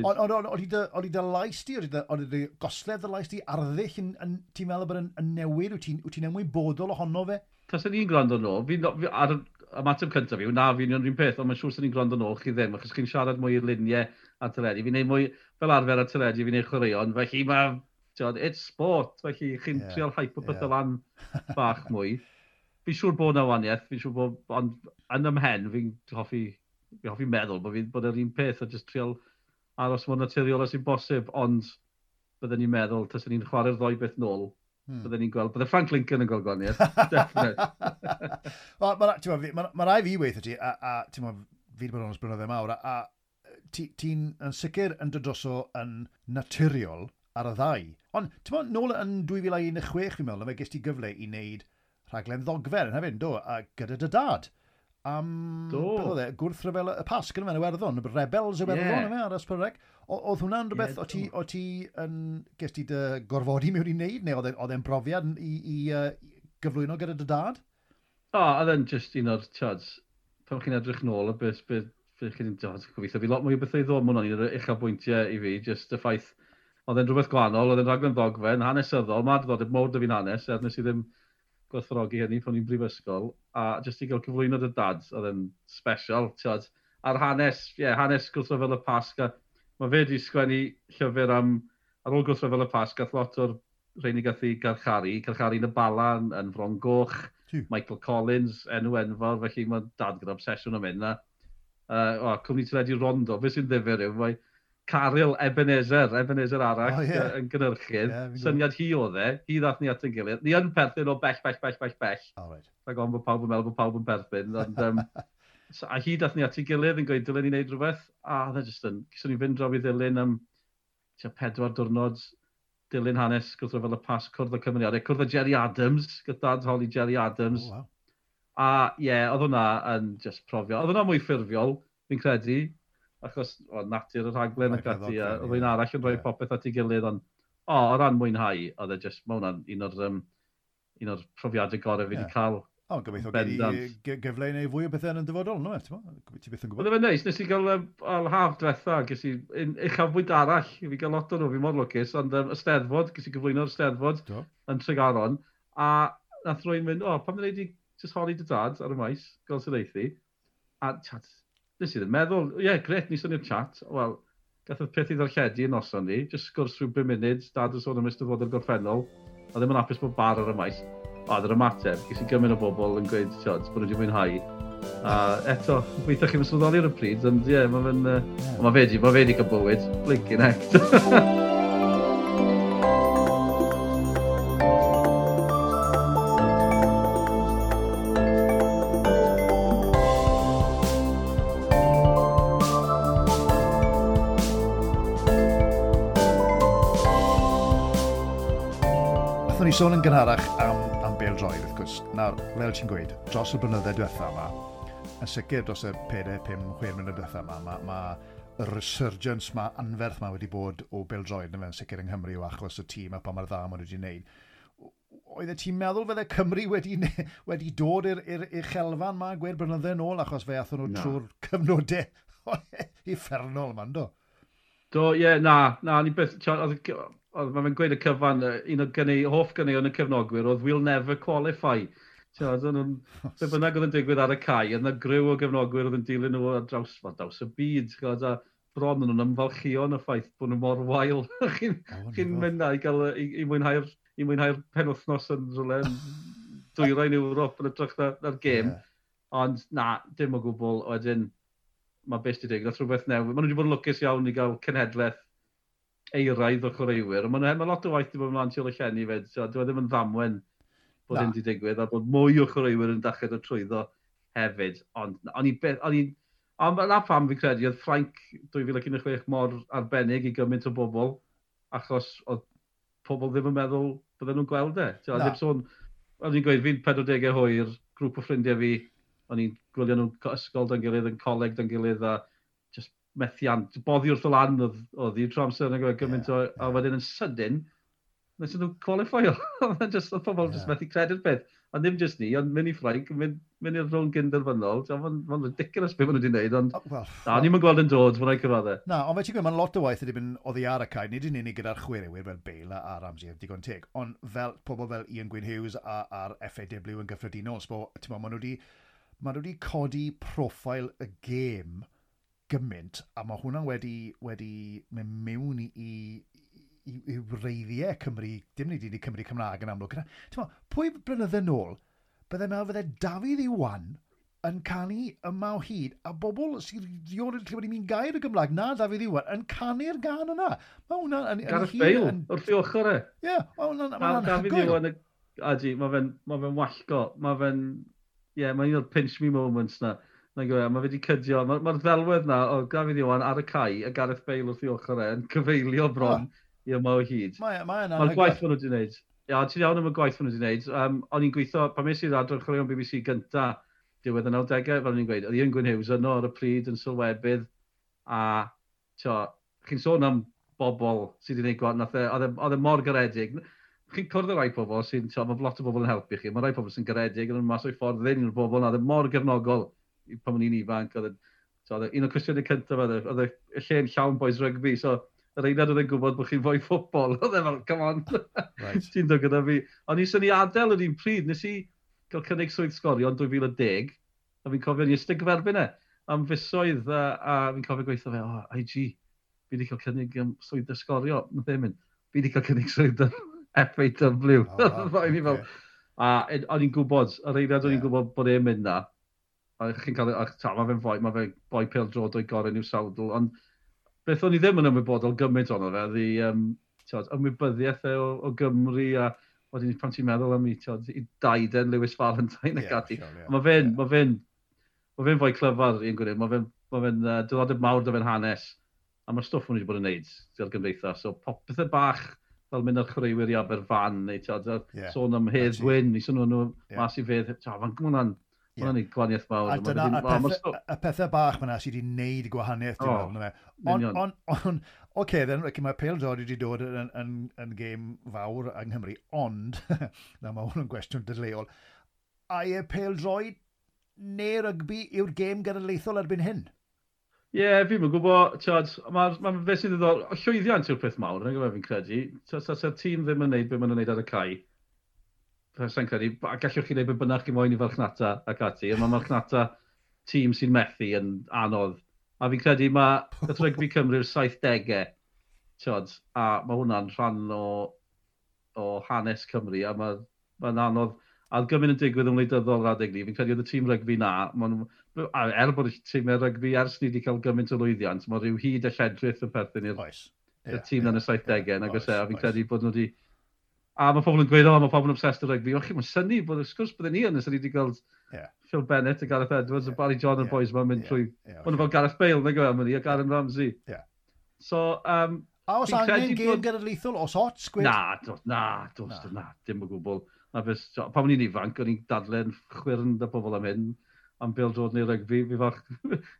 Ond oedd i dy lais di, oedd i dy gosledd dy lais di, arddull, ti'n meddwl bod yn newid, wyt ti'n ymwybodol ohono fe? Taswn i'n gwrando nôl, ar ymateb cyntaf fi, na fi'n un peth, ond mae'n siŵr sy'n ni'n gwrando nôl, chi ddim, achos chi'n siarad mwy i'r luniau ar teledu. Fi'n neud mwy, fel arfer ar teledu, fi'n neud chwaraeon, felly mae, it's sport, felly chi'n yeah, trial hype o pethau lan bach mwy. Fi'n siŵr bod 'na wahaniaeth, fi'n siŵr bod, ond yn ymhen, fi'n hoffi meddwl bod fi'n bod yr un peth a just trial aros mor naturiol as sy'n bosib, ond bydden ni'n meddwl, taswn ni'n chwarae'r ddoi beth nôl, bydden ni'n gweld, bydde Frank Lincoln yn gweld gwahaniaeth, definite. Mae ma rai fi weithio ti, a ti'n fi wedi bod yn onest blynyddoedd mawr, a ti'n yn sicr yn dod droso yn naturiol ar y ddau. Ond, ti'n meddwl, nôl yn 2016, fi'n meddwl, fe ges ti gyfle i wneud rhaglen ddogfen yn hefyd, do, a gyda dy dad. Am, beth oedd e, gwrthryfel y Pasg yn Iwerddon, Rebels Iwerddon, yeah. Ar S4C. Oedd hwnna'n rhywbeth, o ti yn, ges ti dy gorfodi mewn i wneud, neu oedd e'n brofiad i gyflwyno gyda dy dad? O, oedd e'n just un o'r, tiod, pan chi'n edrych nôl, beth, beth, beth chi'n, gobeithio, fi lot mwy o bethau i ddod, mae hwnna'n un o'r uchafbwyntiau i fi, just y ffaith, oedd e'n rhywbeth gwahanol, oedd e'n rhaglen ddogfen, hanesyddol, mae diddordeb mawr 'da fi'n hanes, er nes i ddim gwerthfawrogi hynny pan i'n brifysgol, a jyst i gael cyflwyno dy dad, oedd e'n special, tiod. A'r hanes, ie, yeah, hanes gwrthryfel y Pasg, a mae fe wedi sgwennu llyfr am, ar ôl gwrthryfel y Pasg, gath lot o'r rheini gath ei garcharu yn y Bala yn Fron Goch, Michael Collins, enw enfawr, felly mae dad gyda obsesiwn am hyn. Cwmni teledu Rondo, beth sy'n ddifyr yw, mae Caryl Ebenezer, Ebenezer arall, oh, yeah, yn gynhyrchydd. Yeah, syniad hi oedd e, hi ddath ni at ein gilydd. Ni yn perthyn o bell, bell, bell, bell, bell. Oh, right. Rhag ofn bod pawb yn meddwl bod pawb yn perthyn. Ond, a hi dath ni at ei gilydd yn gweud, dylen ni wneud rhywbeth. A oedd e jyst yn, gyswn ni fynd draw i ddilyn am 4 diwrnod, dilyn hanes gwrthryfel y Pasg, cwrdd y cymeriadau, cwrdd â Gerry Adams, gyda dad holi Gerry Adams. Oh, wow. A ie, yeah, oedd hwnna yn just profio. Oedd hwnna mwy ffurfiol, fi'n credu, achos o, natur y rhaglen ac ati, a oedd un arall yn rhoi popeth at ei gilydd, ond o ran mwynhau, oedd e just, mae hwnna'n un o'r un o'r profiadau gorau fi wedi cael. O, gobeithio gei di gyfle i wneud fwy o bethau yn y dyfodol, no? Ti byth yn gwybod. Oedd e'n neis, nes i gael haf diwetha, ges i uchafbwynt arall, fi gael lot o nhw, fi mor lwcus, ond y Steddfod, ges i gyflwyno'r Steddfod yn Tregaron, a nath rwy'n mynd, o, pam ddweud i just holi dy dad ar y maes, gael sydd eithi, a chat, nes i ddim meddwl, ie, yeah, gret, ni swnio'r chat, wel, gath y peth i ddarlledu yn noson ni, just sgwrs rhyw 5 munud, dad yn sôn am Eisteddfod o'r gorffennol, a ddim yn hapus bod bar ar y maes. A oedd yr ymateb, ges i gymaint o bobl yn gweud, tiod, bod nhw wedi mwynhau. A eto, weithio chi'n sylweddoli ar y pryd, ond ie, yeah, mae fe'n... Yeah. Mae fe di, mae fe di cael bywyd, blinking heck. Ni sôn yn gynharach am bêl-droed, wrth gwrs. Nawr, fel ti'n gweud, dros y blynydde diwetha yma, yn sicr dros y 4, 5, 6 mlynedd diwetha yma, mae ma y resurgence ma anferth ma wedi bod o bêl-droed yn sicr yng Nghymru o achos y tîm a pa mor dda maen nhw wedi wneud. Oeddet ti'n meddwl fydde Cymru wedi dod i'r uchelfan ma gweud blynydde yn ôl achos fe athon nhw trwy'r cyfnodau uffernol yma, yndo? Do, ie, yeah, na, ni beth, oedd mae'n gweud y cyfan, un o gynnu, hoff gynnu yn y cefnogwyr oedd "We'll never qualify". Ti'n nhw'n, be bynnag oedd yn digwydd ar y cae, oedd yna griw o gefnogwyr oedd yn dilyn nhw ar draws, well, draws y byd, ti'n a bron yn nhw'n ymfalchio yn y ffaith bod nhw mor wael. Chi'n chi mynd na i, gael, i mwynhau'r i mwynhau'r penwythnos yn rhywle yn dwyrain Ewrop yn ytrach na'r gêm. Yeah. Ond na, dim o gwbl. Wedyn, mae beth wedi digwydd, rhywbeth newydd. Maen nhw wedi bod yn lwcus iawn i gael cenhedlaeth eiraidd o chwaraewyr. Mae ma lot o waith wedi bod ymlaen tu ôl y llenni fed. So, dyw e ddim yn ddamwen bod hyn wedi digwydd, a bod mwy o chwaraewyr yn dechrau dod trwyddo hefyd. Ond o'n i beth, o'n i, ond na pam fi'n credu, oedd Ffrainc 2016 mor arbennig i gymaint o bobl, achos oedd pobl ddim yn meddwl bydden nhw'n gweld e. Ti'n ddim sôn, o'n i'n gweud, fi'n 40 hwyr, grŵp o ffrindiau fi, o'n i'n gwylio nhw'n ysgol da'n gilydd, yn coleg da'n gilydd, a just methiant, boddi wrth y lan oedd hi trwy amser yn gymaint o, a wedyn yn sydyn, nes nhw qualify-o. Oedd just, oedd pobl just methu credu'r peth. A ddim just ni, ond mynd i Ffrainc, mynd i'r rownd gynderfynol. Mae'n ma ridiculous beth maen nhw wedi gwneud, ond well, na, ni'n gweld yn dod, mae'n rhaid cyfadde. Na, ond fe ti'n gweud, mae'n lot o waith wedi mynd oddi ar y cae, nid yn unig gyda'r chwaraewyr fel Bale a Ramsey, digon teg, ond fel pobl fel Ian Gwyn Hughes a'r FAW yn gyffredinol, so, ti'n maen nhw wedi codi profil y gêm gymaint, a mae hwnna wedi mynd mewn i wreiddiau Cymru, dim nid i Cymru Cymraeg yn amlwg. Ti'n pwy blynydde nôl, bydde meddwl fydde Dafydd Iwan yn canu Yma o Hyd, a bobl sy'n rioed wedi clywed un gair o Gymraeg na Dafydd Iwan yn canu'r gan yna. Mae hwnna yn... Gareth Bale, wrth i ochr e. Ie, mae hwnna'n anhygoel. Dafydd Iwan, adi, mae fe'n ma fe wallgo, mae fe'n... Ie, yeah, mae'n un o'r pinch me moments na. Na gwe, mae fe wedi cydio. Mae'r ma ddelwedd na o Dafydd Iwan ar y cae a Gareth Bale wrth i ochr e yn cyfeilio bron i Yma o Hyd. Mae'r Mae gwaith maen nhw wedi gwneud. Ia, ti'n iawn am y gwaith maen nhw wedi gwneud. O'n i'n gweithio, pan mes i'r adran chwaraeon BBC gynta, diwedd y 90au, fel o'n i'n gweud, oedd Ian Gwyn Hughes yno ar y pryd yn sylwebydd, a tio, chi'n sôn am bobl sydd wedi gwneud gwaith, nath e, oedd e mor garedig. Chi'n cwrdd â rai pobl sy'n, tio, mae lot o bobl yn helpu chi, mae rai pobl sy'n garedig, yn mas o'i ffordd ddim yw'r bobl, na, oedd e mor gefnogol pan o'n i'n ifanc, oedd e, un o'r cwestiynau cyntaf oedd y lle'n llawn boys rygbi, so yr eiliad oedd e'n gwybod bod chi'n fwy ffwtbol, oedd e fel, come on, right. Ti'n dod gyda fi. Ond i sy'n i adael yr un pryd, nes i gael cynnig swydd sgorio yn 2010, a fi'n cofio ni ystod gyferbyn e, am fisoedd, a fi'n cofio gweithio fe, oh, IG, fi wedi cael cynnig swydd ysgorio, nath e mynd, fi wedi cael cynnig swydd FAW. Oh, wow. Okay. Fel, a o'n i'n gwybod, yr eiliad o'n i'n gwybod bod e'n mynd na, a chi'n cael, a, ta, mae fe'n foi, mae fe'n boi pêl-droed o'i gorau i'w sawdl, ond beth o'n i ddim yn ymwybodol gymaint ono fe, oedd i, tiod, ymwybyddiaeth e o Gymru, a wedyn pan ti'n meddwl am i, tiod, i daiden Lewis Valentine ac ati. Sure, yeah. Mae fe'n, yeah. Mae fe'n fwy clyfar i'n gwneud, mae fe'n ma fe diddordeb mawr 'da fe'n hanes, a mae'r stwff maen nhw wedi bod yn neud gyda'r gymdeithas, so pethau bach fel mynd â'r chwaraewyr i Aberfan, neu tiod, sôn am Hedd Wyn, i sôn nhw mas i fedd, tiod, mae'n hwnna'n Yeah. Mae'n gwahaniaeth mawr. A dyna, y pethau bach yna sydd wedi wneud gwahaniaeth, dwi'n meddwl. Ond, on, oce, then, mae pêl-droed wedi dod yn gêm fawr yng Nghymru, ond, na, mae hwn yn gwestiwn dadleuol, ai e pêl-droed neu rygbi yw'r gêm genedlaethol erbyn hyn? Ie, yeah, fi'n gwybod, ti'od, ma beth sy'n ddiddorol, llwyddiant yw'r peth mawr, yn gwybod fi'n credu. Sa'r tîm ddim yn neud beth maen nhw'n neud ar y cae, sa'n credu, a gallwch chi wneud beth bynnag chi moyn i farchnata ac ati, a mae marchnata tîm sy'n methu yn anodd. A fi'n credu mae nath rygbi Cymru'r 70au, ti'od, a mae hwnna'n rhan o hanes Cymru, a mae'n anodd. A oedd gymaint yn digwydd yn wleidyddol yr adeg ni, fi'n credu oedd y tîm rygbi na, a er bod y tîmau rygbi ers ni wedi cael gymaint o lwyddiant, mae rhyw hyd a lledrith yn perthyn i'r tîm yn y 70au, nag oes e, a fi'n credu bod nhw wedi. A mae pobl yn gweud, "O, mae pobl yn obsessed â rygbi." O, chi'n synnu bod, wrth sgwrs bydden ni yn, nes ni wedi gweld Phil Bennett a Gareth Edwards a Barry John a'r boys ma'n mynd trwy. Yeah, Maen nhw fel Gareth Bale, nag yw e, a Garen Ramsey. So, A os angen gêm genedlaethol, os ots, gwed? Na, dos, na, dos, na, na, dim o gwbl. Na, beth, pan o'n i'n ifanc, o'n i'n dadle'n chwyrn 'da pobl am hyn, am bêl-droed neu rygbi, fi fach,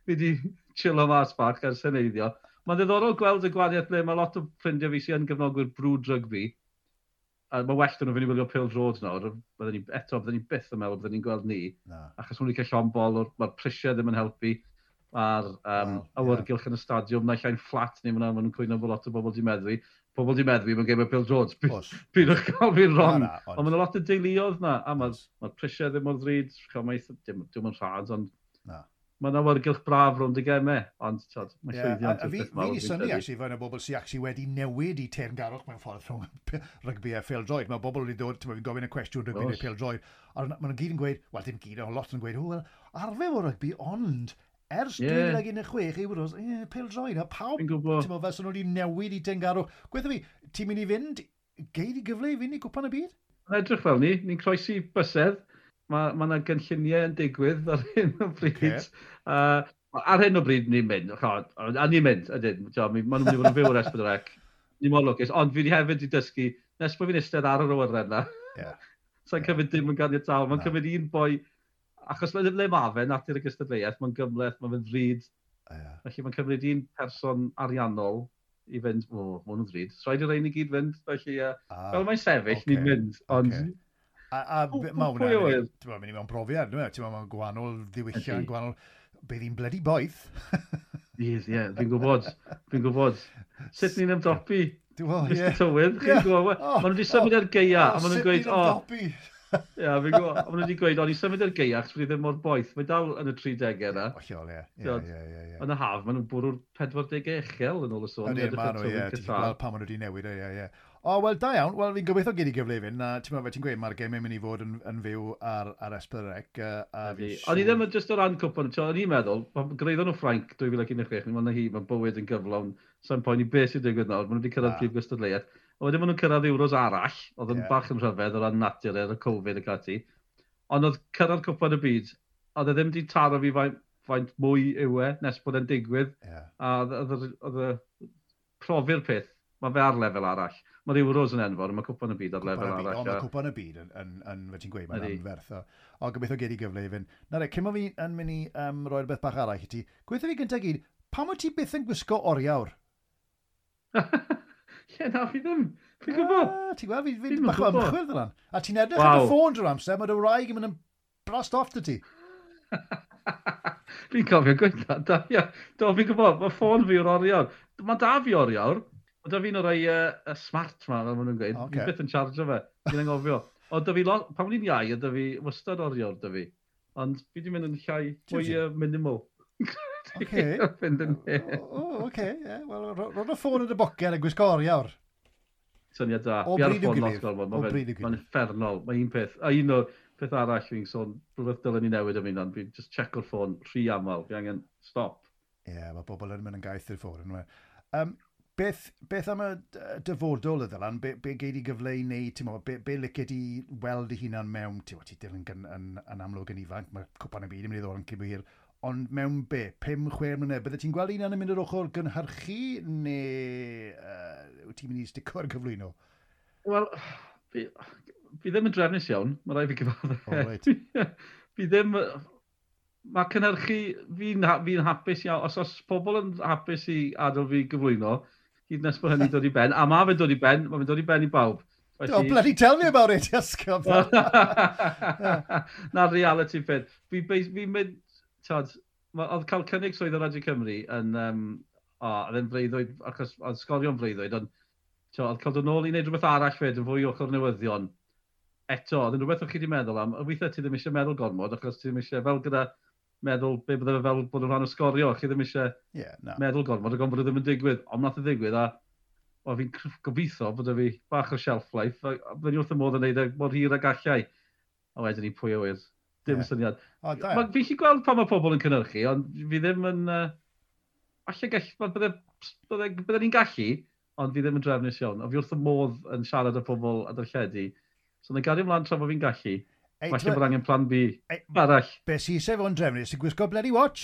fi di chillo mas bach ers heneiddio. Mae'n ddiddorol gweld y gwahaniaeth ble mae lot o ffrindiau fi sy'n gefnogwyr brwd rygbi, a mae well 'da nhw fynd i wylio pêl-droed nawr, bydden ni, eto, bydden ni byth yn meddwl bydden ni'n gweld ni, Na. Achos maen nhw wedi cael llond bol, mae'r prisiau ddim yn helpu, mae'r awyrgylch yn y stadiwm, naill ai'n fflat neu maen nhw'n cwyno bod lot o bobl di meddwi. Pobl di meddwi mewn gêm o pêl-droed. Pidwch cael fi'n wrong. Na, na, ond mae'n lot o deuluoedd na, a mae'r ma prisiau ddim mor ddrud, ch'mo, mae dim yn rhad, ond Na. Mae'n awyrgylch braf rownd y gemau, ond t'od, mae llwyddiant a yw'r fi, peth fi mawr, di fi'n synnu, credu. Actually, faint o bobl sy'n actually wedi newid i teyrngarwch mewn ffordd rhwng rygbi a phêl-droed. Mae bobl wedi dod, ti'n fi'n gofyn y cwestiwn rygbi neu pêl-droed, a maen nhw'n gyd yn gweud, wel dim gyd, ond lot yn gweud, "O, wel, arfer o rygbi, ond ers 2016 Euros, pêl-droed," a pawb, Fi'n gwybod. ti'n fel sy'n nhw wedi newid i teyrngarwch. Gweithio fi, ti'n mynd i fynd, gei di gyfle i fynd i Gwpan y Byd? Mae'n edrych fel ni, ni'n croesi bysedd. Mae ma yna gynlluniau yn digwydd ar hyn o bryd. Ar hyn o bryd ni'n mynd, ch'od, a ni'n mynd, ydyn, t'mo, maen nhw'n mynd i fod yn fyw ar S4C. Ni mor lwcus, ond fi wedi hefyd wedi dysgu, nes bod fi'n eistedd ar yr awyren na, sa'n cymryd dim yn ganiataol, mae'n Na. cymryd un boi, achos le ma fe, natur y gystadleuaeth, mae'n gymhleth, mae'n fynd ddrud, felly mae'n cymryd un person ariannol i fynd, "O, ma hwn yn ddrud, so rhaid i rein i gyd fynd," felly, fel mae'n sefyll, ni'n mynd, ond A mae Pwy hwnna'n oedd? Ti'n mynd i mewn brofiad, dwi'n meddwl, ti'n mewn gwahanol ddiwylliant, gwahanol. Bydd hi'n bloody boeth. Bydd, ie, fi'n gwybod, fi'n gwybod. Sut ni'n ymdopi, Dwi'n meddwl, Mr ie. Tywydd, chi'n gwybod? O, Maen nhw wedi symud ar gaea, a maen nhw'n sut gweud, ni'n "O," ymdopi? ie, fi'n gwybod, a maen nhw wedi gweud, "O, ni symud ar gaea, achos bydd hi ddim mor boeth." Mae dal yn y 30au yna. Hollol, ie. Ie, T'wod, ie, ie, ie. yn y haf, maen nhw'n bwrw'r 40 uchel yn ôl y sôn. Ydyn, Edrych ma' ar nhw, ie. tywydd Ti'n Qatar. gweld pan maen nhw wedi newid, ie, ie. O, wel, da iawn. Wel, fi'n gobeithio gei di gyfle i fynd. A ti'n meddwl, ti'n gweud, mae'r gemau mynd i fod yn fyw ar S4C. A fi'n O'n i ddim yn just o ran cwpan, o'n i'n meddwl, pan gyrhaeddon nhw Ffrainc 2016, ni'n meddwl na hi, mae bywyd yn gyflawn, sa'n poeni beth sy'n digwydd nawr, maen nhw wedi cyrraedd Na. prif gystadleuaeth. A wedyn maen nhw'n cyrraedd Euros arall, oedd yn bach yn rhyfedd o ran natur ar y Covid ac ati. Ond oedd cyrraedd cwpan y byd, oedd e ddim wedi taro fi faint mwy yw e, nes bod e'n digwydd. A oedd y profi'r peth, mae fe ar lefel arall. Mae'r Euros yn enfawr, mae cwpan y byd ar Cwpan lefel y byd. arall. O, mae cwpan y byd yn fel ti'n gweud, mae'n anferth. O, gobeithio gei di gyfle i fynd. Na re, cyn bo fi yn mynd i roi rhywbeth bach arall i ti, gweithio fi gyntaf gyd, pam wyt ti byth yn gwisgo oriawr? Ie, na, fi ddim. Fi'n gwybod. Ah, ti'n gweld, fi Fi'm yn bach o gwbod. ymchwil fel. A ti'n edrych ar dy ffôn drwy'r amser, mae dy wraig yn mynd yn blast off dy ti. Fi'n cofio gweud na, da, ia. Do, fi'n gwybod, mae ffôn fi yw'r oriawr. Mae da fi oriawr. Mae da fi un o'r rhai smart ma, fel maen nhw'n gweud. Fi byth yn charge fe. Fi'n anghofio. Ond da fi lot, pan o'n i'n iau, oedd da fi wastad oriawr da fi. Ond fi di mynd yn llai, mwy minimal. Fynd yn hen. O, oce, ie. Wel, ro dy ffôn yn dy boced a gwisgo oriawr. Syniad da. O Fi ar y bryd i'w ffôn lot gilydd. gormod. O bryd i'w gilydd. Mae'n uffernol. Mae un peth. A un o'r peth arall fi'n sôn, rhywbeth dylen ni newid am hynna, fi'n just checko'r ffôn rhy aml. Fi angen stop. Ie, yeah, mae bobl yn mynd yn gaeth i'r ffôn. Yn beth am y dyfodol y Ddylan? Be gei di gyfle i wneud, ti'n meddwl, be licio di weld dy hunan mewn, ti'n meddwl, ti dil yn amlwg yn ifanc, mae cwpan y byd yn mynd i ddod yn cyn bo hir, ond mewn be, 5-6 mlynedd, bydde ti'n gweld hunan yn mynd yr ochr gynhyrchu, neu wyt ti'n mynd i stico ar gyflwyno? Wel, fi ddim yn drefnus iawn, mae rhaid fi gyfadde. O, reit. Fi ddim... Mae cynhyrchu, fi'n fi hapus iawn, os pobl yn hapus i adael fi gyflwyno, hyd nes bod hynny'n dod i ben, a mae fe'n dod i ben, mae fe'n dod i ben i bawb. Felly... Oh, bloody tell me about it, Iasgob. Na'r reality peth. Fi'n mynd, tod, oedd cael cynnig swydd ar Radio Cymru yn, oedd e'n freuddwyd, achos oedd Sgorio'n freuddwyd, ond oedd cael dod nôl i wneud rhywbeth arall fyd yn fwy ochr newyddion. Eto, oedd yn rhywbeth o'ch chi wedi meddwl am, weithiau ti ddim eisiau meddwl gormod, achos ti ddim eisiau, fel gyda meddwl be bydde fe fel bod yn rhan o Sgorio, chi ddim eisiau meddwl gormod, ac ond bod e ddim yn digwydd, ond nath e ddigwydd, a o, fi'n gobeithio bod e fi bach o shelf life, a byddwn i wrth y modd yn neud e mor hir ag allai. A wedyn ni pwy a wyr, dim syniad. O, da. Fi'n gallu gweld pan mae pobl yn cynhyrchu, ond fi ddim yn... Falle bydde ni'n gallu, ond fi ddim yn drefnus iawn. A fi wrth y modd yn siarad â pobl a darlledu. So, na gario ymlaen tra bod fi'n gallu. Falle bod angen plan B arall. Be sy eisiau fod yn drefnus sy'n gwisgo bloody watch?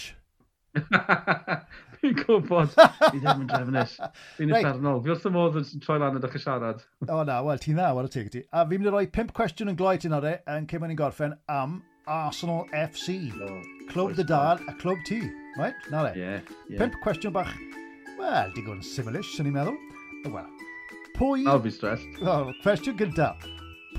Fi'n gwybod. Fi ddim yn drefnus. Fi'n uffernol. Fi wrth y modd yn troi lan a dechrau siarad. O na, wel, ti'n dda, whare teg ti. A fi'n mynd i roi 5 cwestiwn yn gloi ti nawr e, yn cyn ni'n gorffen am Arsenal FC. Oh, Clwb dy dad a clwb ti. Right? Na le. Yeah. 5 cwestiwn bach, wel, digon syml-ish, sy'n ni'n meddwl. Wel, pwy... I'll be stressed. Oh, cwestiwn gyntaf.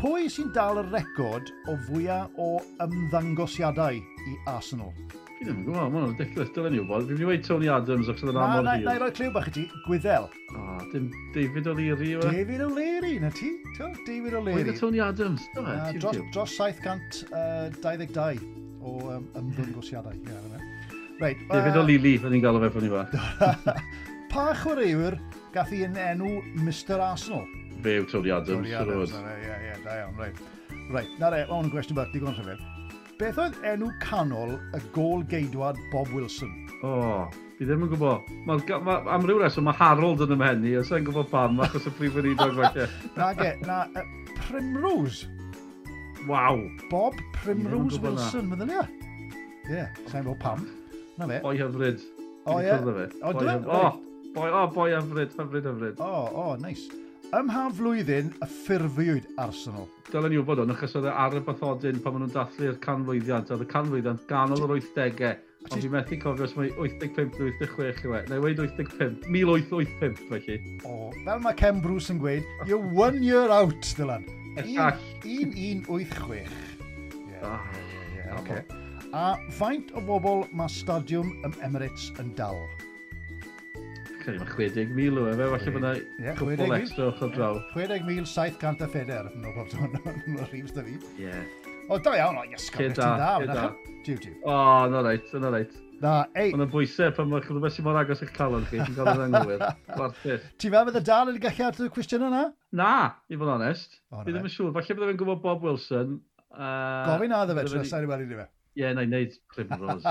Pwy sy'n dal y record o fwyaf o ymddangosiadau i Arsenal? Fi ddim yn gwybod, mae'n ridiculous, dylen ni wybod. Fi'n mynd i weud Tony Adams achos oedd yn amor hir. Na, i roi cliw bach i ti, Gwyddel. O, dim David O'Leary yw e? David O'Leary, na ti? David O'Leary. Oedd Tony Adams, do fe? Dros 722 o ymddangosiadau. Yeah, right, David O'Leary, fe ni'n galw fe pan ni fa. Pa chwaraewr gath i yn enw Mr Arsenal? Fe yw Tony Adams. Tony Adams, ie, da iawn, reit. Reit, na re, mae hwn yn gwestiwn bach digon rhyfedd. Beth oedd enw canol y gôl geidwad Bob Wilson? O, fi ddim yn gwybod. Am ryw reswm, mae Harold yn ymhen i, os i'n gwybod pam, achos y prif weinidog falle. Na, Primrose. Waw. Bob Primrose Wilson, meddylia? Ie, sa'n gwybod pam. Na fe. Boi hyfryd. O, ie. O, dwi'n? O, boi hyfryd, hyfryd, hyfryd. O, nice. Ym mha flwyddyn y ffurfiwyd Arsenal? Dylen ni wybod hwn, achos oedd e ar y bathodyn pan maen nhw'n dathlu'r canmlwyddiant. Oedd y canmlwyddiant ganol yr 80au. Ond fi'n methu cofio os mae 85 neu 86 yw e. Neu weud 85, 1885 felly. O, fel mae Ken Bruce yn gweud, you're 1 year out, Dylan. 1186. Ie, oce. A faint o bobl mae stadiwm ym Emirates yn dal? Credu mae 60,000 o efe, falle bod yna cwpl extra ochr draw. 60,704, no bob no rhif da fi. Ie. O, da iawn, o, iesgob, ti'n da. Jiw, jiw. O, na reit, na reit. Na, ei. Mae'n bwysau pan mae rhywbeth sy'n mor agos i'ch calon chi, ti'n cael yr anghywir. Gwarthus. Ti'n meddwl bydd y dal yn gallu ateb y cwestiwn yna? Na, i fod yn onest. Fi ddim yn siŵr, falle bydde fe'n gwybod Bob Wilson. Gofyn a ddo fe, trwy sa'n i weld i fe. Ie, na i wneud Primrose.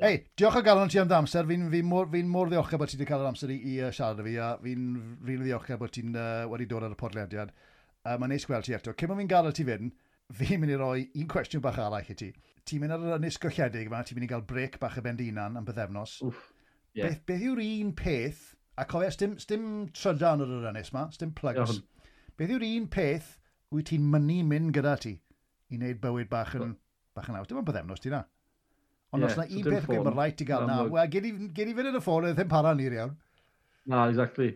Ei, diolch o galon ti am dy amser. Fi'n fi mor ddiolchgar bod ti wedi cael yr amser i siarad â fi, a fi'n rili ddiolchgar bod ti'n wedi dod ar y podlediad. Mae'n neis gweld ti eto. Cyn bod fi'n gadael ti fynd, fi'n mynd i roi un cwestiwn bach arall i ti. Ti'n mynd ar yr ynys golledig yma, ti'n mynd i gael break bach y ben dy hunan am bythefnos. Wff, yeah. Beth yw'r un peth, a cofio, sdim trydan ar yr ynys yma, sdim plugs. Iawn. Beth yw'r un peth wyt ti'n mynnu mynd gyda ti i wneud bywyd bach yn... Bach yn haws, dim ond bythefnos ti na. Ond os na un peth mae'n rhaid ti gael na, wel, gyd i fynd yn y ffôn, oedd ddim para ni'r iawn. Na, exactly.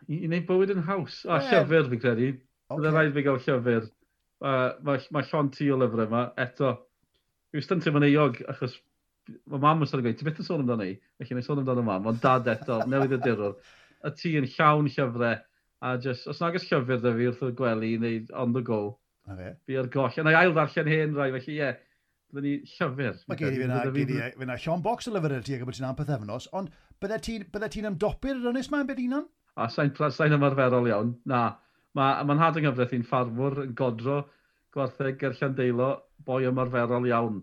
I wneud bywyd yn haws. A llyfr, fi'n credu. Bydd rhaid fi gael llyfr. Mae llond tŷ o lyfrau yma, eto. Fi wastad yn teimlo'n euog, achos mae mam wastad yn gweud, ti byth yn sôn amdano i, felly na i sôn amdano mam, ond dad eto, newydd y dirwr. Y tŷ yn llawn llyfrau, a just, os nag oes llyfr da fi wrth y gwely neu on the go, fi ar goll. A na i ail ddarllen hen rai, felly ie, byddwn ni llyfr. Mae gen i fyna llond bocs o lyfr ti ac bod ti'n am pythefnos, ond bydde ti'n ymdopi'r ynys ma yn byd unan? A sa'n ymarferol iawn, na. Mae nhad yng nghyfraith i'n ffarmwr yn godro gwartheg ger Llandeilo, boi ymarferol iawn.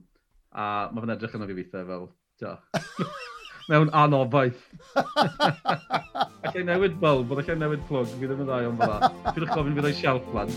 A mae fe'n edrych arno fi weithiau fel, tio, mewn anobaith. Allai newid bulb, ond allai newid plug, fi ddim yn dda iawn fel 'na. Pidwch gofyn fi roi shelf lan.